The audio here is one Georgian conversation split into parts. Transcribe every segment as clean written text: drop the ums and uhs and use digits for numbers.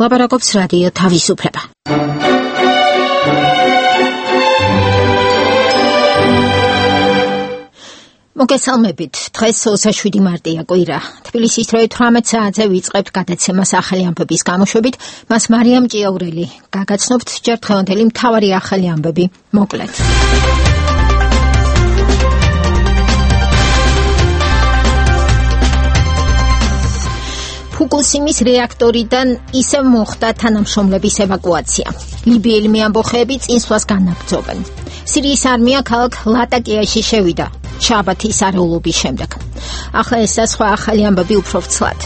ლაპარაკობს რადიო თავისუფლება. მოგესალმებით, დღეს 27 მარტია კვირა. თბილისის დროით 18 საათზე ვიწყებთ გადაცემას ახალი ამბების გამოშვებით. მას მარიამ ჭიაურელი გაგაცნობთ ჯერ დღევანდელი მთავარი ახალი ამბები. მოკლედ. ფუკუსიმის რეაქტორიდან ისევ მოხდა თანამშრომლების ევაკუაცია. ლიბიელი მეამბოხეები წინსვლას განაგრძობენ. სირიის არმია ქალაქ ლატაკიაში შევიდა შაბათის არეულობის შემდეგ. ახლა ეს და სხვა ახალი ამბები უფრო ვრცლად.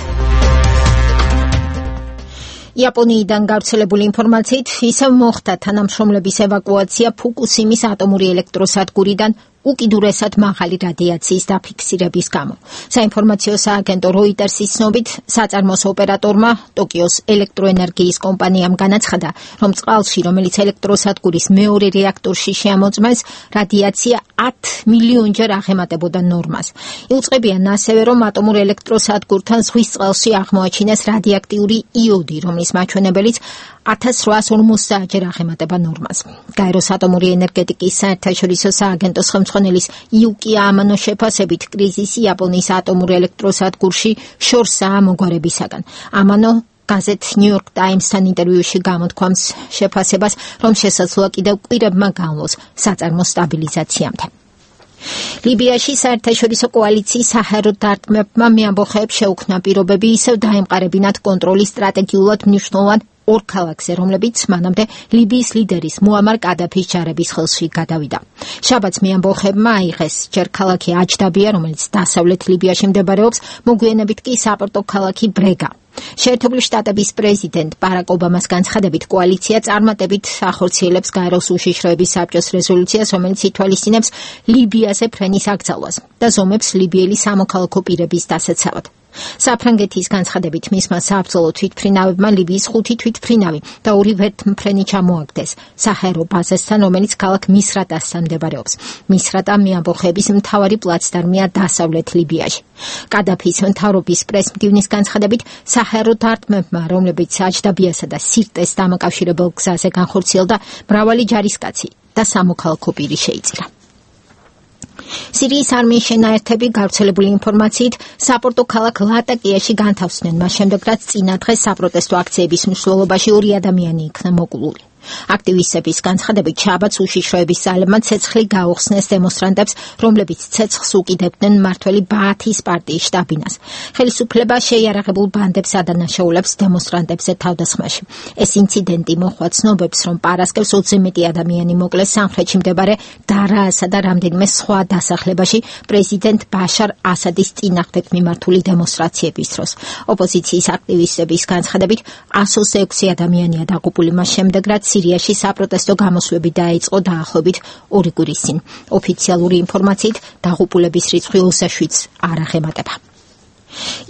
იაპონიიდან გავრცელებული ინფორმაციით ისევ მოხდა თანამშრომლების ევაკუაცია ფუკუსიმის ატომური ელექტროსადგურიდან უკიდურესად მაღალი რადიაციის დაფიქსირების გამო. საინფორმაციო სააგენტო როიტერსის ცნობით, საწარმოს ოპერატორმა ტოკიოს ელექტროენერგიის კომპანიამ განაცხადა, რომ წყალში, რომელიც ელექტროსადგურის მეორე რეაქტორში შეამოწმეს, რადიაცია 10 მილიონჯერ აღემატებოდა ნორმას. იუწყებიან ასევე, რომ ატომურ ელექტროსადგურთან ზღვის წყალში აღმოაჩინეს რადიაქტიული იოდი, რომლის მაჩვენებელიც 1850-ჯერ აღემატება ნორმას. გაეროს ატომური ენერგეტიკის საერთაშორისო სააგენტოს ხელმძღვანელის იუკია ამანოს შეფასებით, კრიზისი იაპონიის ატომურ ელექტროსადგურში შორსაა მოგვარებისაგან. ამანო გაზეთ New York Times-თან ინტერვიუში გამოთქვამს შეფასებას, რომ შესაძლოა კიდევ კვირებმა განვლოს საწარმოს სტაბილიზაციამდე. ლიბიაში საერთაშორისო კოალიციის საჰაერო დარტყმებმა მეამბოხეებს შეუქმნა პირობები ისევ დაემყარებინათ კონტროლის სტრატეგიულად მნიშვნელოვან ორ ქალაქზე, რომლებიც მანამდე ლიბიის ლიდერის მუამარ კადაფის ჯარების ხელში გადავიდა. შაბათს მეამბოხეებმა აიღეს ჯერ ქალაქი აჯდაბია, რომელიც დასავლეთ ლიბიაში მდებარეობს, მოგვიანებით კი საპორტო ქალაქი ბრეგა. შეერთებული შტატების პრეზიდენტ ბარაკ ობამას განცხადებით, კოალიცია წარმატებით ახორციელებს გაეროს უშიშროების საბჭოს რეზოლუციას, რომელიც ითვალისწინებს ლიბიაზე ფრენის აკრძალვას და ზომებს ლიბიელი სამოქალაქო პირების დასაცავად. საფრანგეთის განცხადებით, მისმა საბრძოლო თვითმფრინავებმა ლიბიის 5 თვითმფრინავი და 2 ვერთმფრენი ჩამოაგდეს საჰაერო ბაზასთან, რომელიც ქალაქ მისრატასთან მდებარეობს. მისრატა მეამბოხეების მთავარი პლაცდარმია დასავლეთ ლიბიაში. კადაფის მთავრობის პრესმდივნის განცხადებით, საჰაერო დარტყმებმა, რომლებიც აჯდაბიასა და სირტეს დამაკავშირებელ გზაზე განხორციელდა, მრავალი ჯარისკაცი და სამოქალაქო პირი შეიწირა. სირიის არმიის შენაერთები გავრცელებული ინფორმაციით საპორტო ქალაქ ლატაკიაში განთავსდნენ, მას შემდეგ რაც წინა დღეს საპროტესტო აქციების მნიშვნელობაში 2 ადამიანი იქნა მოკლული. აქტივისტების განცხადებით, შაბათს უშიშროების ძალებმა ცეცხლი გაუხსნეს დემონსტრანტებს, რომლებიც ცეცხლს უკიდებდნენ მმართველი ბაათის პარტიის შტაბინას. ხელისუფლება შეიარაღებულ ბანდებს ადანაშაულებს დემონსტრანტებზე თავდასხმაში. ეს ინციდენტი მოჰყვა ცნობებს, რომ პარასკევს 20 მეტი ადამიანი მოკლეს სამხრეთში მდებარე დარაასა და რამდენიმე სხვა დასახლებაში პრეზიდენტ ბაშარ ასადის წინააღმდეგ მიმართული დემონსტრაციების დროს. ოპოზიციის აქტივისტების განცხადებით, 126 ადამიანია დაღუპული მას შემდეგ, რაც სირიაში საპროტესტო გამოსვლები დაიწყო დაახლოებით 2 კვირის წინ. ოფიციალური ინფორმაციით დაღუპულების რიცხვი 27-ს არ აღემატება.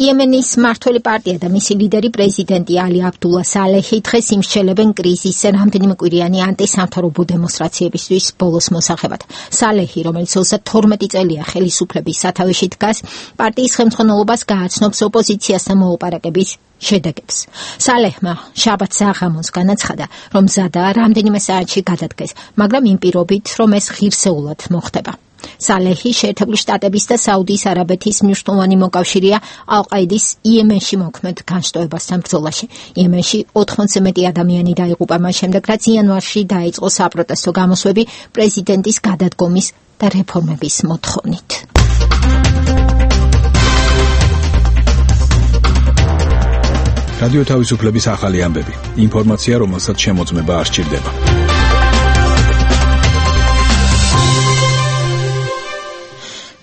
იემენის მმართველი პარტია და მისი ლიდერი პრეზიდენტი ალი აბდულა სალეჰი დღეს იმსჯელებენ კრიზისზე რამდენიმე კვირიანი ანტისამთავრობო დემონსტრაციებისთვის ბოლოს მოსახებად. სალეჰი, რომელიც 32 წელია ხელისუფლების სათავეში დგას, პარტიის ხელმძღვანელობას გააცნობს ოპოზიციასთან მოლაპარაკების შედეგებს. სალეჰმა შაბათს აღამოს განაცხადა, რომ მზადაა რამდენიმე საათში გადადგეს, მაგრამ იმ პირობით, რომ ეს ღირსეულად მოხდება. სალეჰი შეერთებული შტატების და საუდის არაბეთის მნიშვნელოვანი მოკავშირეა ალ-ყაიდის იემენში მოქმედ განშტოებასთან ბრძოლაში. იემენში 80-ზე მეტი ადამიანი დაიღუპა მას შემდეგ, რაც იანვარში დაიწყო საპროტესტო გამოსვლები პრეზიდენტის გადადგომის და რეფორმების მოთხოვნით. რადიო თავისუფლების ახალი ამბები. ინფორმაცია, რომელსაც შემოწმება არ სჭირდება.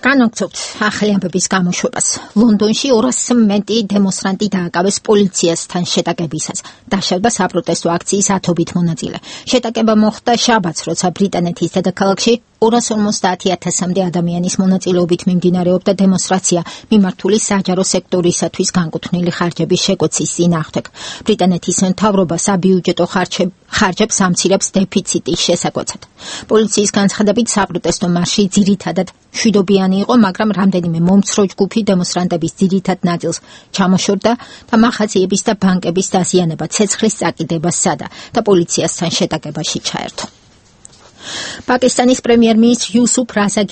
განაგრძობთ ახალი ამბების გამოშვებას. ლონდონში 200-ზე მეტი დემონსტრანტი დააკავეს პოლიციასთან შეტაკებისას. დაშავდა საპროტესტო აქციის 10 მონაწილე. შეტაკება მოხდა შაბათს, როცა ბრიტანეთის დედაქალაქში 250,000-მდე ადამიანის მონაწილეობით მიმდინარეობდა დემონსტრაცია მიმართული საჯარო სექტორისათვის განკუთვნილი ხარჯების შეკვეცის წინააღმდეგ. ბრიტანეთის მთავრობა საბიუჯეტო ხარჯებს ამცირებს დეფიციტის შესაკვეთად. პოლიციის განცხადებით საპროტესტო მარში ძირითადად მშვიდობიანი იყო, მაგრამ რამდენიმე მომცრო ჯგუფი დემონსტრანტების ძირითად ნაწილს ჩამოშორდა და მაღაზიების და ბანკების დაზიანება, ცეცხლის წაკიდება სცადა და პოლიციასთან შეტაკებაში ჩაერთო. პაკისტანის პრემიერ-მინისტრი იუსუფ რაზა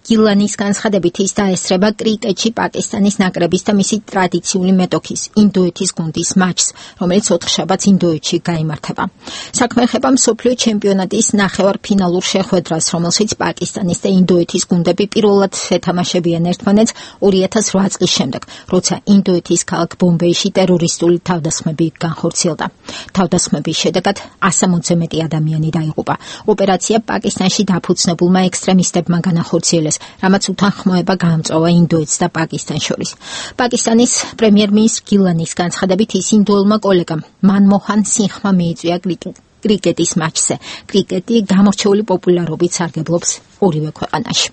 გილანის განცხადებით ის დაესწრება კრიკეტში პაკისტანის ნაკრების და მისი ტრადიციული მეტოქის ინდოეთის გუნდის матჩს, რომელიც 4 შაბათს ინდოეთში გაიმართება. საქმე ეხება მსოფლიო ჩემპიონატის ნახევარფინალურ შეხვედრას, რომელშიც პაკისტანის და ინდოეთის გუნდები პირველად ეთამაშებიან ერთმანეთს 2008 წლის შემდეგ, როცა ინდოეთის ქალაქ ბომბეიში ტერორისტული თავდასხმები განხორციელდა. თავდასხმების შედეგად 160-ზე მეტი ადამიანი დაიღუპა. ოპერაცია პაკისტანში დაფუძნებულმა ექსტრემისტებმა განახორციელეს, რამაც უთანხმოება გაამწვავა ინდოეთს და პაკისტანს შორის. პაკისტანის პრემიერ-მინისტრი გილანის განცხადებით ის ინდოელმა კოლეგამ მანმოჰან სინჰმა მიიწვია კრიკეტის матჩზე. კრიკეტი გამორჩეული პოპულარობით სარგებლობს ორივე ქვეყანაში.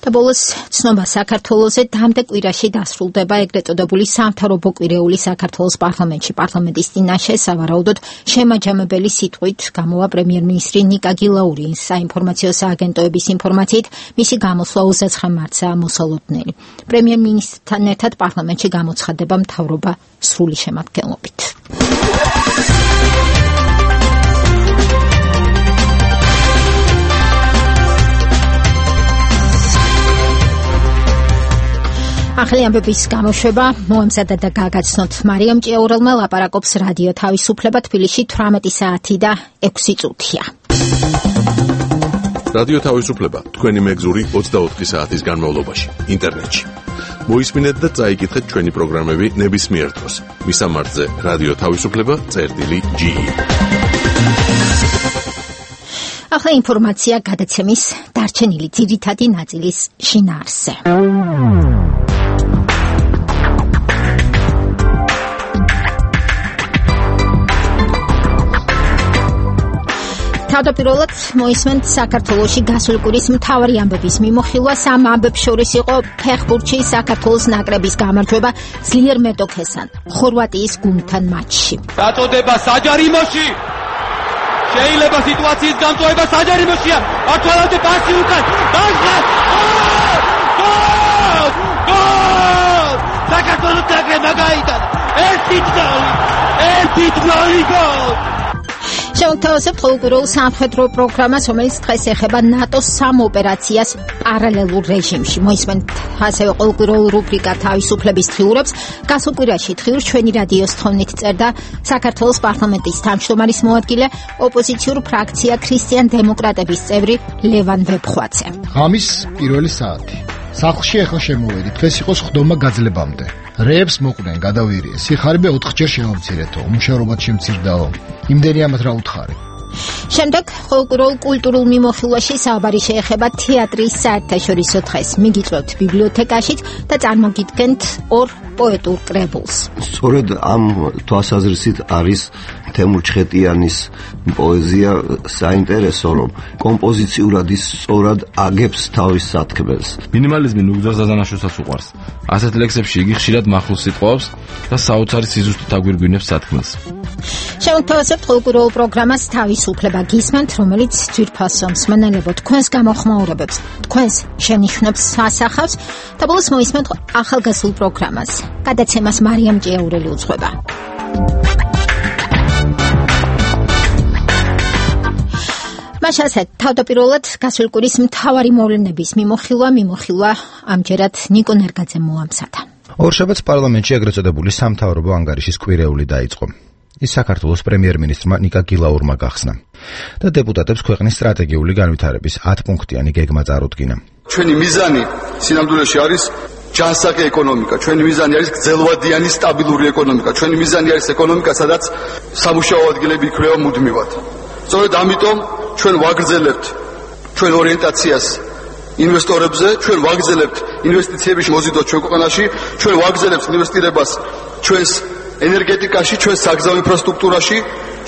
და ბოლოს ცნობა საქართველოზე დამდა კვირაში დასრულდება ეგრეთ წოდებული სამთავრობო კვირეული საქართველოს პარლამენტში. პარლამენტის წინაშე სავარაუდოდ შემაჯამებელი სიტყვით გამოვა პრემიერ-მინისტრი ნიკა გილაური. საინფორმაციო სააგენტოების ინფორმაციით მისი გამოსვლა 29 მარტსაა მოსალოდნელი. პრემიერ-მინისტრთან ერთად პარლამენტში გამოცხადდება მთავრობა სრული შემადგენლობით. ახალი ამბების გამოშვება მოამზადა და გაგაცნოთ მარიამ ჭიაურელმა. ლაპარაკობს რადიო თავისუფლება, თბილისში 18 საათი და 6 წუთია. რადიო თავისუფლება თქვენი მეგზური 24 საათის განმავლობაში ინტერნეტში. მოისმინეთ და წაიკითხეთ ჩვენი პროგრამები ნებისმიერ დროს. მისამართზე რადიო თავისუფლება.ge. ახლა ინფორმაცია გადაცემის დარჩენილი ძირითადი ნაწილის შინაარსზე. თავდაპირველად მოისმენთ საქართველოში გასული კვირის მთავარი ამბების მიმოხილვა. სამ ამბებს შორის იყო ფეხბურთში საქართველოს ნაკრების გამარჯვება ძლიერ მეტოქესთან ხორვატიის გუნდთან матჩში. დაწოდება საჯარიმოში. შეიძლება სიტუაციის გამწვევა საჯარიმოშია. მართლაც პასი უკან. გოლ! საქართველოს ნაკრებმა გაიტანა. ერთი გოლი გოლ! შევთავაზებთ ყოველკვირეულ სამხედრო პროგრამას, რომელიც დღეს ეხება ნატოს სამ ოპერაციას პარალელურ რეჟიმში. მოისმენთ ასევე ყოველკვირეულ რუბრიკა თავისუფლების დღიურებს. გასულ კვირაში დღიურს ჩვენი რადიოს თხოვნით წერდა საქართველოს პარლამენტის თავმჯდომარის მოადგილე, ოპოზიციურ ფრაქცია ქრისტიან დემოკრატების წევრი ლევან ვეფხვაძე. ღამის პირველი საათი. სახლში ახლა შემოვედი. დღეს იყო სხდომა გაძლებამდე. რეებს მოყვნენ, გადავირიეს. სიხარიბე 4-ჯერ შემომცირეთო, უმშევრობად შემცირდაო. იმდენი ამათ რა უთხარი. შემდეგ ყოველკვირეულ კულტურულ მიმოხილვაში საუბარი შეეხება თეატრის საერთაშორისო დღეს. მიგიწვევთ ბიბლიოთეკაშიც და წარმოგიდგენთ ორ პოეტურ კრებულს. სწორედ ამ თვალსაზრისით არის თემურ ჩხეტიანის პოეზია საინტერესო, რომ კომპოზიციურად ის სწორად აგებს თავის სათქმელს. მინიმალიზმი ნუგზას დაზანაშოსაც უყვარს. ასეთ ლექსებში იგი ხშირად მახვილს სიტყვავს და საოცარი სიზუსტით აგვირგვინებს სათქმელს. შევთავაზებთ ყოველკვირეულ პროგრამას თავისუფლება გისმენთ, რომელიც ძვირფასო მსმენელებო თქვენს გამოხმაურებებს, თქვენს შენიშვნებს ასახავს და ბოლოს მოისმენთ ახალგაზრდულ პროგრამას. გადაცემას მარიამ ჭიაურელი უძღვება. მაშასეთ თავდაპირველად გასული კვირის მთავარი მოვლენების მიმოხილვა ამჯერად ნიკო ნერგაძემ მოამზადა. ორშაბათს პარლამენტში ეგრეთ წოდებული სამთავრობო ანგარიშის კვირეული დაიწყო. ის საქართველოს პრემიერ-მინისტრმა ნიკა გილაურმა გახსნა და დეპუტატებს ქვეყნის სტრატეგიული განვითარების 10 პუნქტიანი გეგმა წარუდგინა. ჩვენი მიზანი სინამდვილეში არის ჯანსაღი ეკონომიკა, ჩვენი მიზანი არის გრძელვადიანი სტაბილური ეკონომიკა, ჩვენი მიზანი არის ეკონომიკა, სადაც სამუშაო ადგილები იქნება მუდმივად. სწორედ ამიტომ ჩვენ ვაგრძელებთ ჩვენ ორიენტაციას ინვესტორებზე, ჩვენ ვაგრძელებთ ინვესტიციების მოზიდვას ჩვენ ქვეყანაში, ჩვენ ვაგრძელებთ ინვესტირებას ჩვენს ენერგეტიკაში, ჩვენ საგზაო ინფრასტრუქტურაში,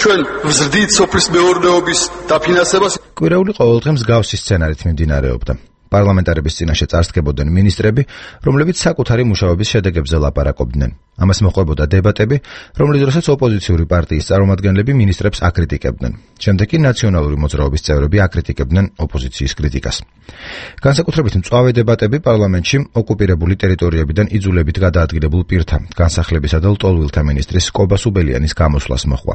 ჩვენ ვზრდით სოფლის მეურნეობის დაფინანსებას. კვირეული ყოველდღე მსგავსი სცენარით მიმდინარეობდა. პარლამენტარების წინაშე წარსდგებოდნენ მინისტრები, რომლებიც საკუთარი მუშაობის შედეგებზე ლაპარაკობდნენ. ამას მოჰყვებოდა დებატები, რომლის დროსაც ოპოზიციური პარტიის წარმომადგენლები მინისტრებს აკრიტიკებდნენ. შემდეგ კი ნაციონალური მოძრაობის წევრები აკრიტიკებდნენ ოპოზიციის კრიტიკას. განსაკუთრებით მწვავე დებატები პარლამენტში ოკუპირებული ტერიტორიებიდან იძულებით გადაადგილებულ პირთა, განსახლებისა და ლტოლვილთა მინისტრის კობა სუბელიანის გამოსვლას მოჰყვა.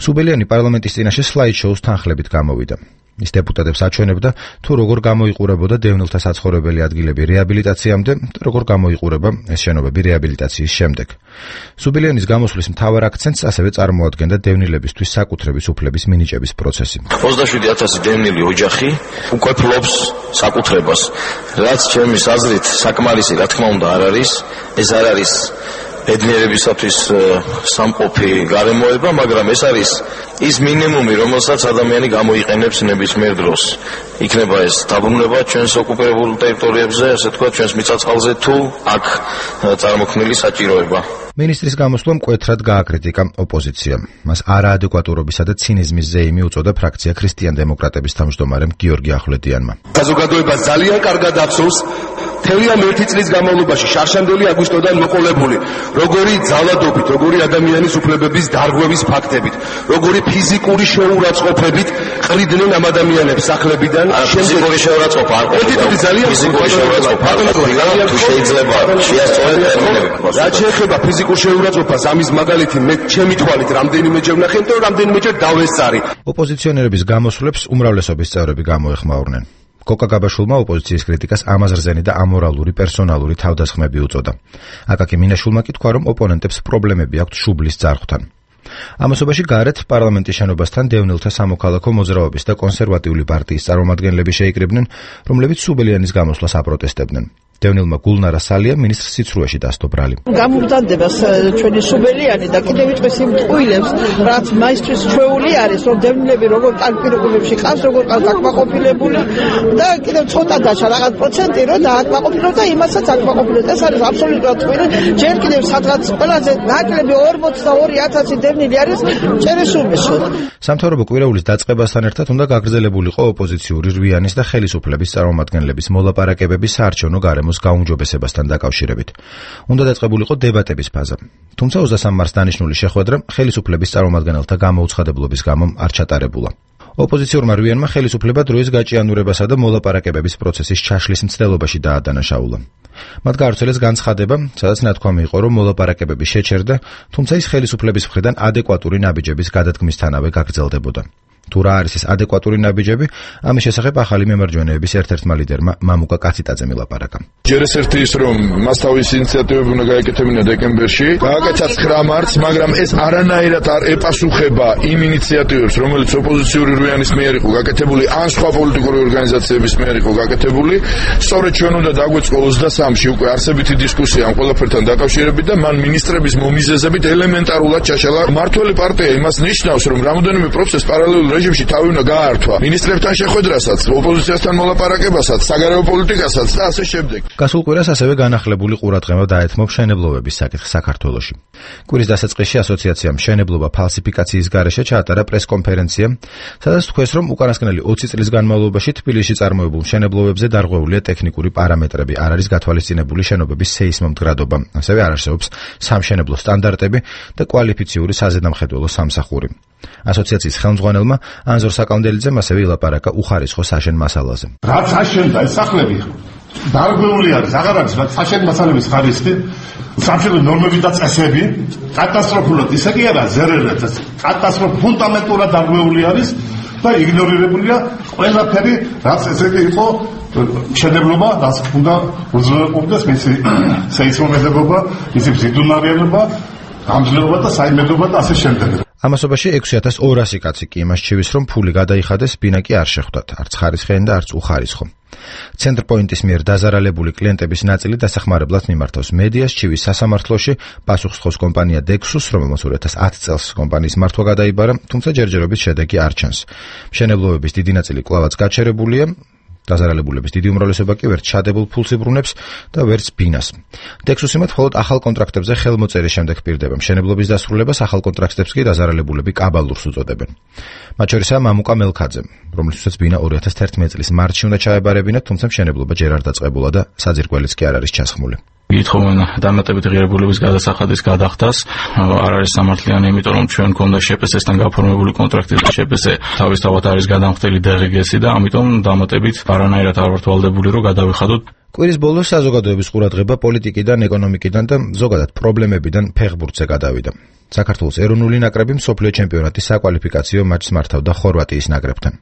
სუბელიანი პარლამენტის წინაშე სლაიდ-შოუს თანხლებით გამოვიდა. ის დეპუტატებს აჩვენებდა, თუ როგორ გამოიყურებოდა დევნილთა საცხოვრებელი ადგილები რეაბილიტაციამდე და როგორ გამოიყურება ეს შენობები რეაბილიტაციის შემდეგ. სუბელიანის გამოსვლის მთავარ აქცენტს ასევე წარმოადგენდა დევნილებისთვის საკუთრების უფლების მინიჭების პროცესი. 27,000 დევნილი ოჯახი უკვე ფლობს საკუთრებას, რაც ჩემის აზრით საკმარისი, რა თქმა უნდა, არ არის. ეს არ არის ბედნიერებისათვის სამყოფი გარემოება, მაგრამ ეს არის ის მინიმუმი, რომელსაც ადამიანი გამოიყენებს ნებისმიერ დროს. იქნება ეს დაბრუნება ჩვენს ოკუპირებულ ტერიტორიებზე, ასე თქვა, ჩვენს მიწა-წყალზე თუ აქ წარმოქმნილი საჭიროება. მინისტრის გამოსვლამ მკვეთრად გააკრიტიკა ოპოზიცია. მას არაადეკვატურობისა და ცინიზმის ზეიმი უწოდა ფრაქცია ქრისტიან-დემოკრატების თავმჯდომარემ გიორგი ახვლედიანმა. საზოგადოებას ძალიან კარგად ახსოვს თელიან 1 წლის განმავლობაში შარშანდელი აგვისტოდან მოყოლებული, როგორი ძალადობით, როგორი ადამიანის უფლებების დარღვევის ფაქტებით, როგორი ფიზიკური შეურაცხყოფებით ყრიდნენ ამ ადამიანებს სახლებიდან. ფიზიკური შეურაცხყოფა არ ყოფილა. ფიზიკური შეურაცხყოფა თუ შეიძლება შეასწორეთ ტერმინები. რაც შეეხება ფიზიკურ შეურაცხყოფას, ამის მაგალითი მე ჩემი თვალით რამდენიმეჯერ ვნახე და რამდენიმეჯერ დავესწარი. ოპოზიციონერების გამოსვლებს უმრავლესობის წევრები გამოეხმაურნენ. კოკა გაბაშულმა ოპოზიციის კრიტიკას ამაზრზენი და ამორალური პერსონალური თავდასხმები უწოდა. აკაკი მინაშულმა კი თქვა, რომ ოპონენტებს პრობლემები აქვთ შუბლის ძარღვთან. ამასობაში გარეთ პარლამენტის შენობასთან დევნილთა სამოქალაქო მოძრაობის და კონსერვატიული პარტიის წარმომადგენლები შეიკრიბნენ, რომლებიც სუბელიანის გამოსვლას აპროტესტებდნენ. დევნილმა გულნარა სალია მინისტრს სიცრუეში დასდო ბრალი. გამომდანდება ჩვენი სუბელიანი და კიდევ ვიტყვი იმ ტყუილებს, რაც მაისთვის ჩვეული არის, რომ დევნილები როგორ კარგ პირობებში ყავს, როგორ აკმაყოფილებული და კიდევ ცოტა დაშა რაღაც პროცენტი რომ დააკმაყოფილოს და იმასაც აკმაყოფილოს. ეს არის აბსოლუტურად ტყუილი. ჯერ კიდევ სადღაც ყველაზე ნაკლები 42,000 დევნილი არის ჭერესუბლში. სამთავრობო კვირაულის დაწყებასთან ერთად უნდა გაგრძელებულიყო ოპოზიციური რვიანის და ხელისუფლების წარმომადგენლების მოლაპარაკებები საარჩევნო გარემოს გაუმჯობესებასთან დაკავშირებით. უნდა დაწყებულიყო დებატების ფაზა. თუმცა 23 მარტს დანიშნული შეხვედრა ხელისუფლების წარმომადგენელთა გამოუცხადებლობის გამო არ ჩატარებულა. ოპოზიციურმა რვიანმა ხელისუფლება დროის გაჭიანურებასა და მოლაპარაკებების პროცესის ჩაშლის მცდელობაში დაადანაშაულა. მათ გაავრცელეს განცხადება, სადაც ნათქვამი იყო, რომ მოლაპარაკებები შეჩერდა, თუმცა ის ხელისუფლების მხრიდან ადეკვატური ნაბიჯების გადადგმისთანავე გაგრძელდებოდა. თუ რა არის ეს ადეკვატური ნაბიჯები, ამის შესახებ ახალი მემარჯვენეების ერთ-ერთმა ლიდერმა მამუკა კაციტაძემ ილაპარაკა. ჯერ ეს ერთი ის, რომ მას თავისი ინიციატივები უნდა გაეკეთებინა დეკემბერში, გააკეთა 9 მარტს, მაგრამ ეს არანაირად არ ეპასუხება იმ ინიციატივებს, რომელიც ოპოზიციური რვიანის მიერ იყო გაკეთებული, ან სხვა პოლიტიკური ორგანიზაციების მიერ იყო გაკეთებული. სწორედ ჩვენ უნდა დაგვეწყო 23-ში უკვე არსებითი დისკუსია ამ ყველაფერთან დაკავშირებით და მან მინისტრების მომიზეზებით ელემენტარულად ჩაშალა. მართველი პარტია იმას ნიშნავს, რომ რამოდენიმე პროცესს პარალელურ რეჟიმში თავი უნდა გაართვა. მინისტრებთან შეხვედრასაც, ოპოზიციასთან მოლაპარაკებასაც, საგარეო პოლიტიკასაც და ასე შემდეგ. გასულ კვირას ასევე განახლებული ყურადღება დაეთმო მშენებლობების საკითხს საქართველოში. კვირის დასაწყისში ასოციაციამ მშენებლობა ფალსიფიკაციის გარეშე ჩაატარა პრესკონფერენცია, სადაც თქვეს, რომ უკანასკნელი 20 წლის განმავლობაში თბილისში წარმოებულ მშენებლობებზე დარღვეულია ტექნიკური პარამეტრები, არ არის გათვალისწინებული შენობების სეისმომდგრადობა, ასევე არ არსებობს სამშენებლო სტანდარტები და კვალიფიციური საზედამხედველო სამსახური. ასოციაციის ხელმძღვანელმა ანზორ საკამდელიძემ ასევე ილაპარაკა უხარისხო საშენ მასალაზე. რაც აშენდა ეს სახლები დარღვეული არის, აღარ არის რაც საშენ მასალების ხარისხი, სამშენებლო ნორმები და წესები კატასტროფულად ისე კი არა ზერერად, კატასტროფულად ფუნდამენტურად დარღვეული არის და იგნორირებულია ყველაფერი, რაც ესე კი იყო მშენებლობა, რაც უნდა უზრუნველყოფდეს მისი სეისმომედებობა, მისი მზიდუნარიანობა, გამძლეობა და საიმედოობა და ასე შემდეგ. ამასობაში 6200 კაცი კი იმას ჩივის, რომ ფული გადაიხადეს, ბინა კი არ შეხვდათ, არც ხარისხიანი და არც უხარისხო. ცენტრპოინტის მიერ დაზარალებული კლიენტების ნაწილი დასახმარებლად მიმართავს მედიას, ჩივის სასამართლოში, პასუხისმგოს კომპანია Dexus, რომელმაც 2010 წელს კომპანიის მართვა გადაიბარა, თუმცა ჯერჯერობით შედეგი არ ჩანს. მშენებლობების დიდი ნაწილი კვლავაც გაჩერებულია დაზარალებულების დიდი უმრავლესობა კი ვერც ჩადებულ ფულს იბრუნებს და ვერც ბინას. დექსუსიმად მხოლოდ ახალ კონტრაქტებზე ხელმოწერის შემდეგ პირდება მშენებლობის დასრულებას, ახალ კონტრაქტებს კი დაზარალებულები კაბალურს უწოდებენ. მათ შორისაა მამუკა მელქაძე, რომლისთვისაც ბინა 2011 წლის მარტში უნდა ჩაებარებინათ, თუმცა მშენებლობა ჯერ არ დაწყებულა და საძირკველიც კი არ არის ჩასხმული. გითხოვენ დამატებით ღირებულების გადასახადის გადახდას, არ არის სამართლიანი, იმიტომ რომ ჩვენ გქონდა შპს-თან გაფორმებული კონტრაქტი და შპს თავისთავად არის გადამხდელი DGS-ი და ამიტომ დამატებით არანაირად არ ვართ ვალდებული რომ გადავიხადოთ. კვირის ბოლოს საზოგადოების ყურადღება პოლიტიკიდან, ეკონომიკიდან და ზოგადად პრობლემებიდან ფეხბურთზე გადავიდა. საქართველოს ეროვნული ნაკრები მსოფლიო ჩემპიონატის საკვალიფიკაციო მატჩს მართავდა ხორვატიის ნაკრებთან.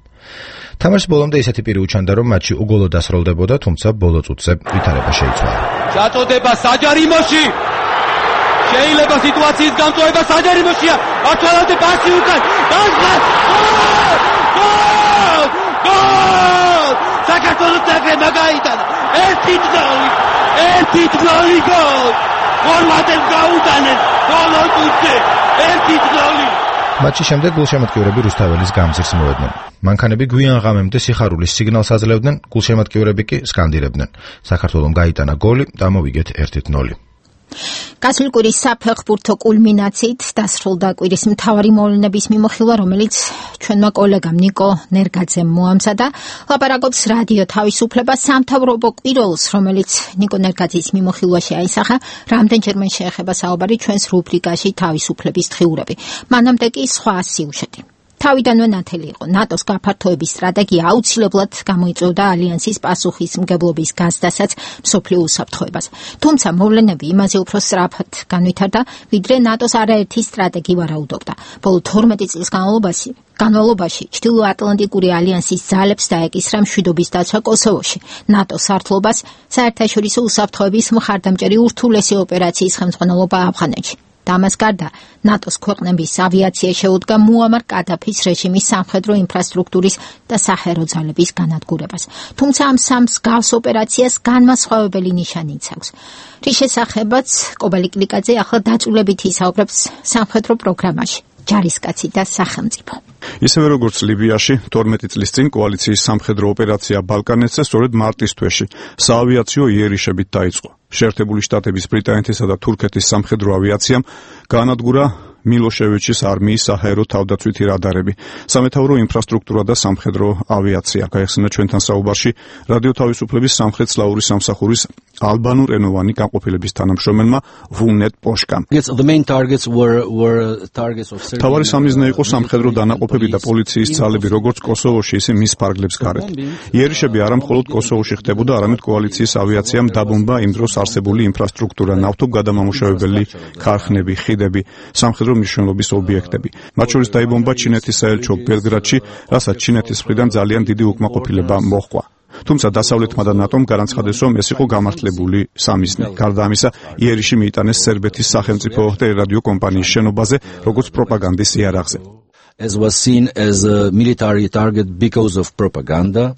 თამაშის ბოლომდე ისეთი პირი უჩანდა, რომ მატჩი უგოლოდ დასრულდებოდა, თუმცა ბოლო წუთზე ვითარება შეიცვალა. ჩაწოდება საჯარიმოში. შეიძლება სიტუაციის გამწვევა საჯარიმოშია. ათვალავდე პასი უკან. გოლ! საქართველოს ნაკრებმა გაიტანა. ერთი გოლი გოლ. ხორვატებს გაუტანეს ბოლო წუთზე. ერთი გოლი. მატჩის შემდეგ გულშემატკივრები რუსთაველის გამზირს მოედნენ. მანქანები გვიან ღამემდე სიხარულის სიგნალს აძლევდნენ, გულშემატკივრები კი სკანდირებდნენ. საქართველომ გაიტანა გოლი და მოვიგეთ 1-0. გასული კვირის საფეხბურთო კულმინაციით დასრულდა კვირის მთავარი მოვლენების მიმოხილვა, რომელიც ჩვენმა კოლეგამ ნიკო ნერგაძემ მოამზადა. ლაპარაკობს რადიო თავისუფლება სამთავრობო კვიროლს, რომელიც ნიკო ნერგაძის მიმოხილვაში აისახა. რამდენჯერმე შეეხება საუბარი ჩვენს რუბრიკაში თავისუფლების დღიურები. მანამდე კი სხვა სიუჟეტი. თავიდანვე ნათელი იყო ნატოს გაფართოების სტრატეგია აუცილებლად გამოიწვევდა ალიანსის პასუხისმგებლობის გაზრდასაც მსოფლიო უსაფრთხოებას. თუმცა მოვლენები იმაზე უფრო სწრაფად განვითარდა, ვიდრე ნატოს არაერთი სტრატეგი ვარაუდობდა. ბოლო 12 წლის განმავლობაში ჩრდილოატლანტიკური ალიანსის ძალებს დაეკისრა მშვიდობის დაცვა კოსოვოში, ნატოს სარდლობას, საერთაშორისო უსაფრთხოების მხარდამჭერი ურთულესი ოპერაციის ხელმძღვანელობა ავღანეთში. და ამას გარდა ნატოს ქვეყნების ავიაცია შეუდგა მუამარ კადაფის რეჟიმის სამხედრო ინფრასტრუქტურის და საჰაერო ძალების განადგურებას. თუმცა ამ სამს გავს ოპერაციას განმასხვავებელი ნიშანი იცავს. რის შესახებაც კობალი კლიკაძე ახლა დაწვრილებით ისაუბრებს სამხედრო პროგრამაში ჯარისკაცი და სახელმწიფო. ისევე როგორც ლიბიაში 12 წლის წინ კოალიციის სამხედრო ოპერაცია ბალკანეთზე სწორედ მარტის თვეში საავიაციო იერიშებით დაიწყო. შეერთებული შტატების, ბრიტანეთისა და თურქეთის სამხედრო ავიაციამ გაანადგურა მილოშევიჩის არმიის საჰაერო თავდაცვითი რადარები, სამეთაურო ინფრასტრუქტურა და სამხედრო ავიაცია. გაიხსნა ჩვენთან საუბარში რადიო თავისუფლების სამხრეთ-სლავური სამსახურის ალბანურენოვანი განყოფილების თანამშრომელმა ვუნეტ პოშკამ. თავარი სამიზნე იყო სამხედრო დანაყოფები და პოლიციის ძალები, როგორც კოსოვოში, ისე მის ფარგლებს გარეთ. იერიშები არა მხოლოდ კოსოვოში ხდებოდა, არამედ კოალიციის ავიაციამ დაბომბა იმ დროს არსებული ინფრასტრუქტურა, ნავთობგადამამუშავებელი ქარხნები, ხიდები, სამხედრო მნიშვნელობის ობიექტები. მათ შორის დაიბომბა ჩინეთის საელჩო ბელგრადში, რასაც ჩინეთის მხრიდან ძალიან დიდი უკმაყოფილება მოჰყვა. თუმცა დასავლეთმა და ნატომ განაცხადეს, რომ ეს იყო გამართლებული სამიზნე. გარდა ამისა, იერიში მიიტანეს სერბეთის სახელმწიფო რადიო კომპანიის შენობაზე, როგორც პროპაგანდის იარაღზე. As was seen as a military target because of propaganda.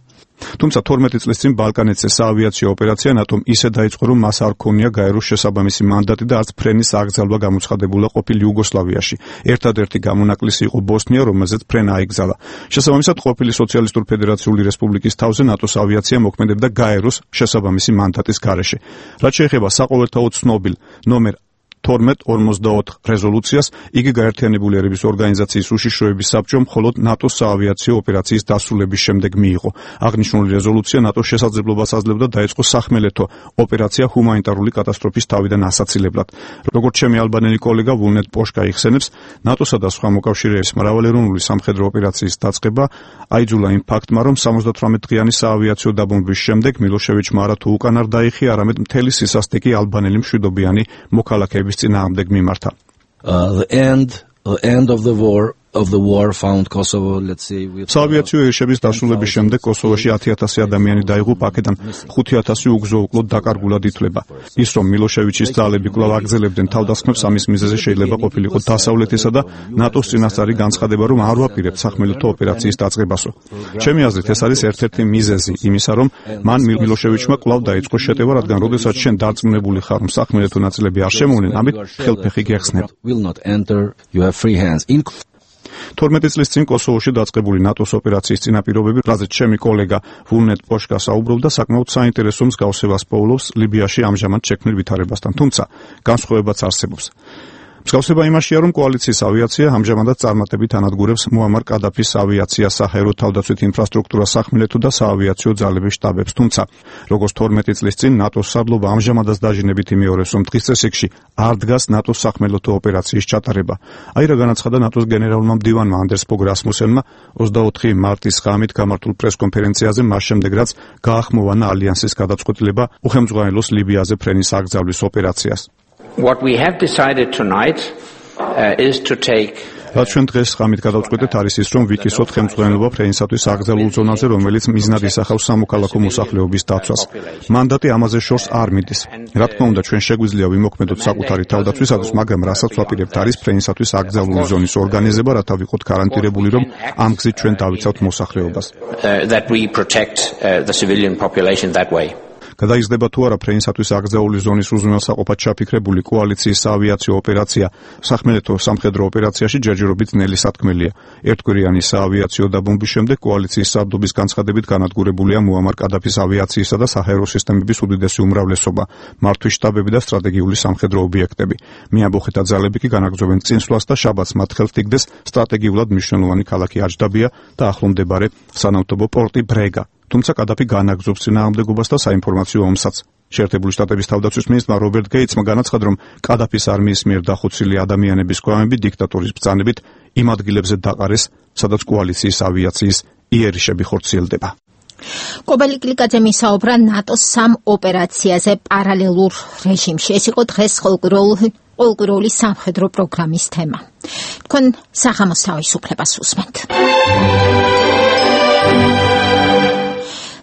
თუმცა 12 წლის წინ ბალკანეთზე საავიაციო ოპერაცია ნატომ ისე დაიწყო, რომ მას არ ჰქონია გაეროს შესაბამისი მანდატი და არც ფრენის აკრძალვა გამოცხადებულა ყოფილ იუგოსლავიაში. ერთადერთი გამონაკლისი იყო ბოსნია, რომელზეც ფრენა აიკრძალა. შესაბამისად, ყოფილი სოციალისტური ფედერაციული რესპუბლიკის თავზე ნატოს ავიაცია მოქმედებდა გაეროს შესაბამისი მანდატის გარეშე. რაც შეეხება საყოველთაოდ ცნობილ ნომერ 1244 რეზოლუციას, იგი გაერთიანებული ერების ორგანიზაციის უშიშროების საბჭომ მხოლოდ ნატოს საავიაციო ოპერაციის დასრულების შემდეგ მიიღო. აღნიშნული რეზოლუცია ნატოს შესაძლებლობას აძლევდა დაეწყოს სახმელეთო ოპერაცია ჰუმანიტარული კატასტროფის თავიდან ასაცილებლად. როგორც ჩემი ალბანელი კოლეგა ვუნეტ პოშკა იხსენებს, ნატოსა და სხვა მოკავშირეების მრავალეროვნული სამხედრო ოპერაციის დაწყება აიძულა იმ ფაქტმა, რომ 78 დღიანი საავიაციო დაბომბვის შემდეგ მილოშევიჩმა არა თუ უკან არ დაიხია, არამედ მთელი სისასტიკი ალბანელი მშვიდობიანი მოქალაქეების წინააღმდეგ მიმართა. The end of the war found Kosovo, let's say, with საავიაციო იერიშების დასრულების შემდეგ კოსოვოში 10,000 ადამიანი დაიღუპა, აქედან 5,000 უგზო-უკლოდ დაკარგულად ითვლება. ის რომ მილოშევიჩის ძალები კვლავ აგრძელებდნენ თავდასხმებს, ამის მიზეზი შეიძლება ყოფილიყო დასავლეთისა და ნატოს წინასწარი განცხადება, რომ არ ვაპირებთ სახმელეთო ოპერაციის დაწყებასო. ჩემი აზრით, ეს არის ერთ-ერთი მიზეზი იმისა, რომ მან მილოშევიჩმა კვლავ დაიწყო შეტევა, რადგან როდესაც შენ დარწმუნებული ხარ, რომ სახმელეთო ნაწილები არ შემოვლენ, ამით ხელფეხი გეხსნება. 12 წლის წინ კოსოვოში დაწყებული ნატოს ოპერაციის წინაპირობები, რაზეც ჩემი კოლეგა ვულნეტ პოშკა საუბრობდა, საკმაოდ საინტერესო მსგავსებას პოულობს ლიბიაში ამჟამად შექმნილ ვითარებასთან, თუმცა განსხვავებაც არსებობს. მსგავსება იმაშია, რომ კოალიციის ავიაცია ამჟამადაც წარმატებით ანადგურებს მუამარ კადაფის ავიაციას, საჰაერო თავდაცვით ინფრასტრუქტურას, სახმელეთო და საავიაციო ძალების შტაბებს, თუმცა როგორც 12 წლის წინ ნატოს სარდლობა ამჟამადაც დაჟინებით იმეორებს, რომ დღის წესრიგში არ დგას ნატოს სახმელეთო ოპერაციის ჩატარება. აი რა განაცხადა ნატოს გენერალურმა მდივანმა ანდერს ფოგ რასმუსენმა 24 მარტის ღამით გამართულ პრესკონფერენციაზე, მას შემდეგ რაც გაახმოვანა ალიანსის გადაწყვეტილება უხელმძღვანელოს ლიბიაზე ფრენის აკრძალვის ოპერაციას. What we have decided tonight is to take რაც ჩვენ დღეს ღამით გადავწყვეტეთ არის ის, რომ ვიკისოთ ხელმძღვანელობა ფრენისათვის აკრძალულ ზონაზე, რომელიც მიზნად ისახავს სამოქალაქო მოსახლეობის დაცვას. მანდატი ამაზე შორს არ მიდის. რა თქმა უნდა, ჩვენ შეგვიძლია ვიმოქმედოთ საკუთარი თავდაცვისათვის, მაგრამ რასაც ვაპირებთ არის ფრენისათვის აკრძალული ზონის ორგანიზება, რათა ვიყოთ გარანტირებული, რომ ამ გზით ჩვენ დავიცავთ მოსახლეობას. that we protect the civilian population that way. გადაიზრდება თუ არა ფრენისათვის აკრძალული ზონის უზრუნველსაყოფად ჩაფიქრებული კოალიციის საავიაციო ოპერაცია სახმელეთო სამხედრო ოპერაციაში ჯერჯერობით ძნელი სათქმელია. ერთგვარიანი საავიაციო დაბომბვის შემდეგ კოალიციის სარდლობის განცხადებით განადგურებულია მუამარ კადაფის ავიაციისა და საჰაერო სისტემების უდიდესი უმრავლესობა, მართვის შტაბები და სტრატეგიული სამხედრო ობიექტები. მეამბოხეთა ძალები კი განაგრძობენ წინსვლას და შაბათს მათ ხელთ იგდეს სტრატეგიულად მნიშვნელოვანი ქალაქი აჯდაბია და ახლომდებარე სანავთობო პორტი ბრეგა. თუმცა კადაფი განაგრძობს წინააღმდეგობას და საინფორმაციო ომსაც. შეერთებული შტატების თავდაცვის მინისტრმა რობერტ გეიცმა განაცხადა, რომ კადაფის არმიის მიერ დახოცილი ადამიანების გვამები დიქტატორის ბრძანებით იმ ადგილებზე დაყარეს, სადაც კოალიციის ავიაციის იერიშები ხორციელდება. კობელი კლიკაძე მისაუბრა ნატოს სამ ოპერაციაზე პარალელურ რეჟიმში. ეს იყო დღეს ყოველკვირეული სამხედრო პროგრამის თემა. თქვენ საღამოს თავისუფლებას უსმენთ.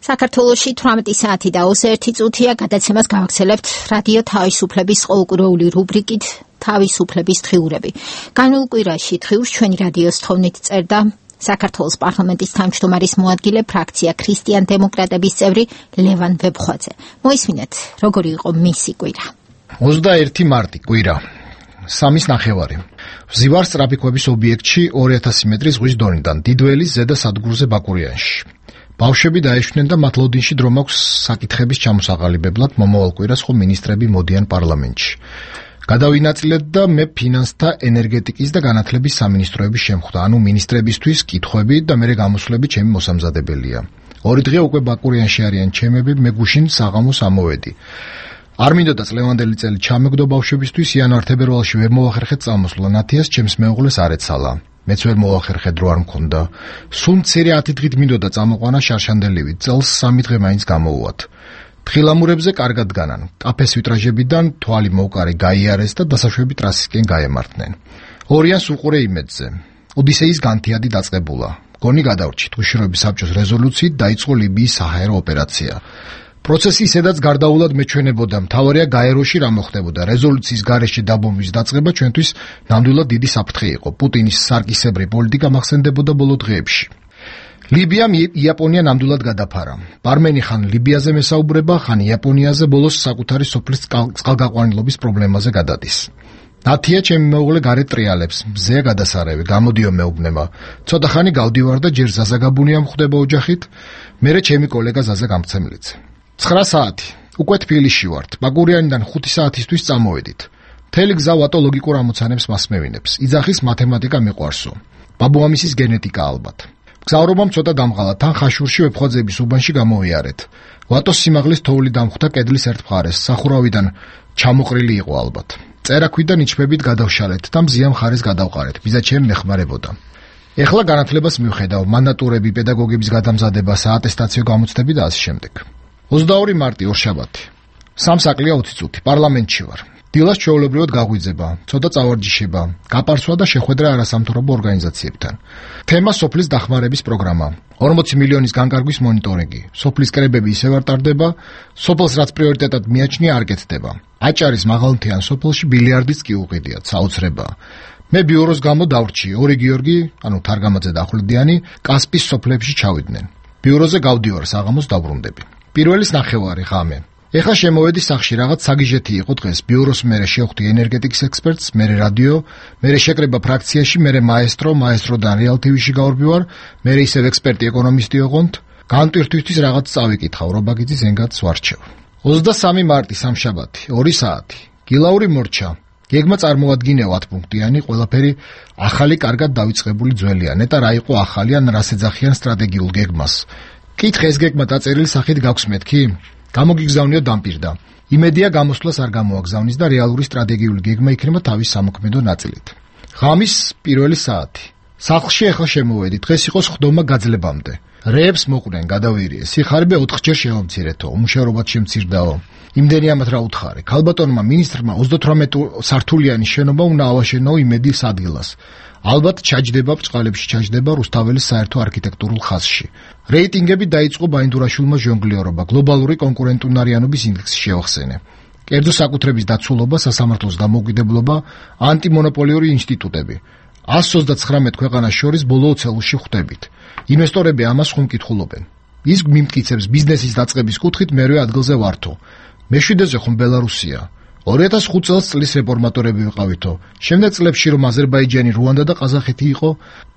საქართველოში 18 საათი და 21 წუთია, გადაცემას გავაგრძელებთ რადიო თავისუფლების ყოველკვირეული რუბრიკით თავისუფლების დღიურები. განულ კვირაში დღიურს ჩვენი რადიოს თხოვნით წერდა საქართველოს პარლამენტის თავმჯდომარის მოადგილე, ფრაქცია ქრისტიან დემოკრატების წევრი ლევან ვებხვაძე. მოისმინეთ, როგორი იყო მისი კვირა. 21 მარტი კვირა. 3:30. ვზივარ სწრაფიქვების ობიექტში 2000 მეტრის ზღვის დონიდან, დიდველის ზედა სადგურზე ბაკურიანში. ბავშვები დაეშვნენ და მათ ლოდინში დრო მაქვს საკითხების ჩამოსაყალიბებლად, მომავალ კვირას ხო მინისტრები მოდიან პარლამენტში. გადავინაწილეთ და მე ფინანსთა, ენერგეტიკის და განათლების სამინისტროების შემხვდა, ანუ მინისტრებისთვის კითხვები და მე გამოსვლები ჩემი მოსამზადებელია. 2 დღე უკვე ბაკურიანში არიან ჩემები, მე გუშინ საღამოს ამოვედი. არ მინდოდა წლევანდელი წელი ჩამეგდო ბავშვებისთვის, იანვარ-თებერვალში ვერ მოვახერხეთ წამოსვლა, ნათიას ჩემს მეუღლეს არ ეცალა. მეც ვერ მოვახერხე, დრო არ მქონდა. სულ მცირე 10 დღით მინდოდა წამოყვანა შარშანდელივით, წელს 3 დღე მაინც გამოვუვათ. თხილამურებზე კარგად განან, კაფეს ვიტრაჟებიდან თვალი მოუკარე გაიარეს და დასაშვები ტრასისკენ გაემართნენ. ორიანს უყურე იმედზე. ოდისეის განთიადი დაწყებულა. გონი გადავრჩით, უშიშროების საბჭოს რეზოლუციით დაიწყო ლიბიის საჰაერო ოპერაცია. პროცესი ისედაც გარდაულად მეჩვენებოდა, მთავარია გაეროში რა მოხდებოდა. რეზოლუციის გარეშე დაბომბვის დაწყება ჩვენთვის ნამდვილად დიდი საფრთხე იყო. პუტინის სარკისებრი პოლიტიკა მახსენდებოდა ბოლო დღეებში. ლიბიამ იაპონია ნამდვილად გადაფარა. პარმენი ხან ლიბიაზე მესაუბრება, ხან იაპონიაზე, ბოლოს საკუთარი სოფლის წყალგაყვანილობის პრობლემაზე გადადის. ნათია ჩემი მეუღლე გარეთ ტრიალებს, მზეა გადასარევი, გამოდიო მეუბნება. ცოტა ხანი გავდივარ და ჯერ ზაზაგაბუნია მხდება ოჯახით, მერე ჩემი კოლეგა ზაზა გამცემლიც. 9 საათი. უკვე თბილისში ვართ. ბაკურიანიდან 5 საათისთვის წამოვედით. მთელი გზა ვატო ლოგიკურ ამოცანებს მასმევინებს. იძახის მათემატიკა მიყვარსო. ბაბუამისის გენეტიკა ალბათ. გზავრობამ ცოტა დამღალა, თან ხაშურში ვეფხვაძეების უბანში გამოვიარეთ. ვატოს სიმაღლის თოვლი დამხვდა კედლის ერთ მხარეს, სახურავიდან ჩამოყრილი იყო ალბათ. წერაქვიდან იჩბებით გადავშალეთ და მზია მხარეს გადავყარეთ. ბიზა ჩემ მეხმარებოდა. ეხლა განათლებას მივხედავ, მანდატურები, პედაგოგების გადამზადება, საატესტაციო გამოცდები და ასე შემდეგ. 22 მარტი ორშაბათი. 3 საკლია 20 წუთი. პარლამენტში ვარ. დილას ჩვეულებრივად გაგვიძება, ცოტა წავარჯიშება, გაპარსვა და შეხვედრა არასამთავრობო ორგანიზაციებთან. თემა სოფლის დახმარების პროგრამა. 40 მილიონის განკარგვის მონიტორინგი. სოფლის კრებები ისევ არ ტარდება, სოფელს რაც პრიორიტეტად მიაჩნია არ კეთდება. აჭარის მაღალმთიან სოფელში ბილიარდის კი უყიდიათ, საოცრებაა. მე ბიუროს გამო დავრჩი, ორი გიორგი, ანუ თარგამაძე და ახვლედიანი, კასპის სოფლებში ჩავიდნენ. ბიუროზე გავდივარ, საღამოს დაბრუნდები. პირველის ნახევარი ღამე. ეხლა შემოვედი სახში, რაღაც საგიჟეთი იყო დღეს. ბიუროს მერე შევხვდი ენერგეტიკის ექსპერტს, მერე რადიო, მერე შეკრება ფრაქციაში, მერე მაესტროდან რეალ TV-ში გავარბივარ, მერე ისევ ექსპერტი ეკონომისტი ოღონდ. განტვირთვისთვის რაღაც წავიკითხავ, რობაგიძის ენგათს ვარჩევ. 23 მარტი სამშაბათი, 2 საათი. გილაური მორჩა. გეგმა წარმოადგინეო 10 პუნქტიანი, ყველაფერი ახალი, კარგად დავიწყებული ძველია. ნეტა რა იყო ახალი ან რას ეძახიან სტრატეგიულ გეგმას. კითხე ეს გეგმა დაწერილი სახით გაქვს მეთქი? გამოგიგზავნიო დამპირდა. იმედია გამოსვლას არ გამოაგზავნის და რეალური სტრატეგიული გეგმა იქნება თავის სამოქმედო ნაწილით. ღამის პირველი საათი. სახლში ახლა შემოვედი, დღეს იყო სხდომა გაძლებამდე. რეებს მოყვნენ, გადავირიე. სიხარიბე 4-ჯერ შემომცირეთო, უმუშევრობად შემცირდაო. იმდენი ამათ რა უთხარი. ქალბატონმა მინისტრმა 38 სართულიანი შენობა უნდა ავაშენო იმედის ადგილას. ალბათ ჩაჯდება ბწყალებში, ჩაჯდება რუსთაველის საერთო არქიტექტურულ ხაზში. რეიტინგები დაიწყო ბაინდურაშვილმა ჟონგლიორობა, გლობალური კონკურენტუნარიანობის ინდექსი შევახსენე. კერძო საკუთრების დაცულობა, სასამართლოს დამოუკიდებლობა, ანტიმონოპოლიური ინსტიტუტები. 129 ქვეყანას შორის ბოლო ცელუსში ხვდებით. ინვესტორები ამას ხუმკითხულობენ. ის მიმტკიცებს ბიზნესის დაწყების კუთხით მერვე ადგილზე ვართო. მეშვიდეზე ხომ ბელარუსია. 2005 წლის რეფორმატორები ვიყავითო. შემდეგ წლებში რომ აზერბაიჯანი, რუანდა და ყაზახეთი იყო,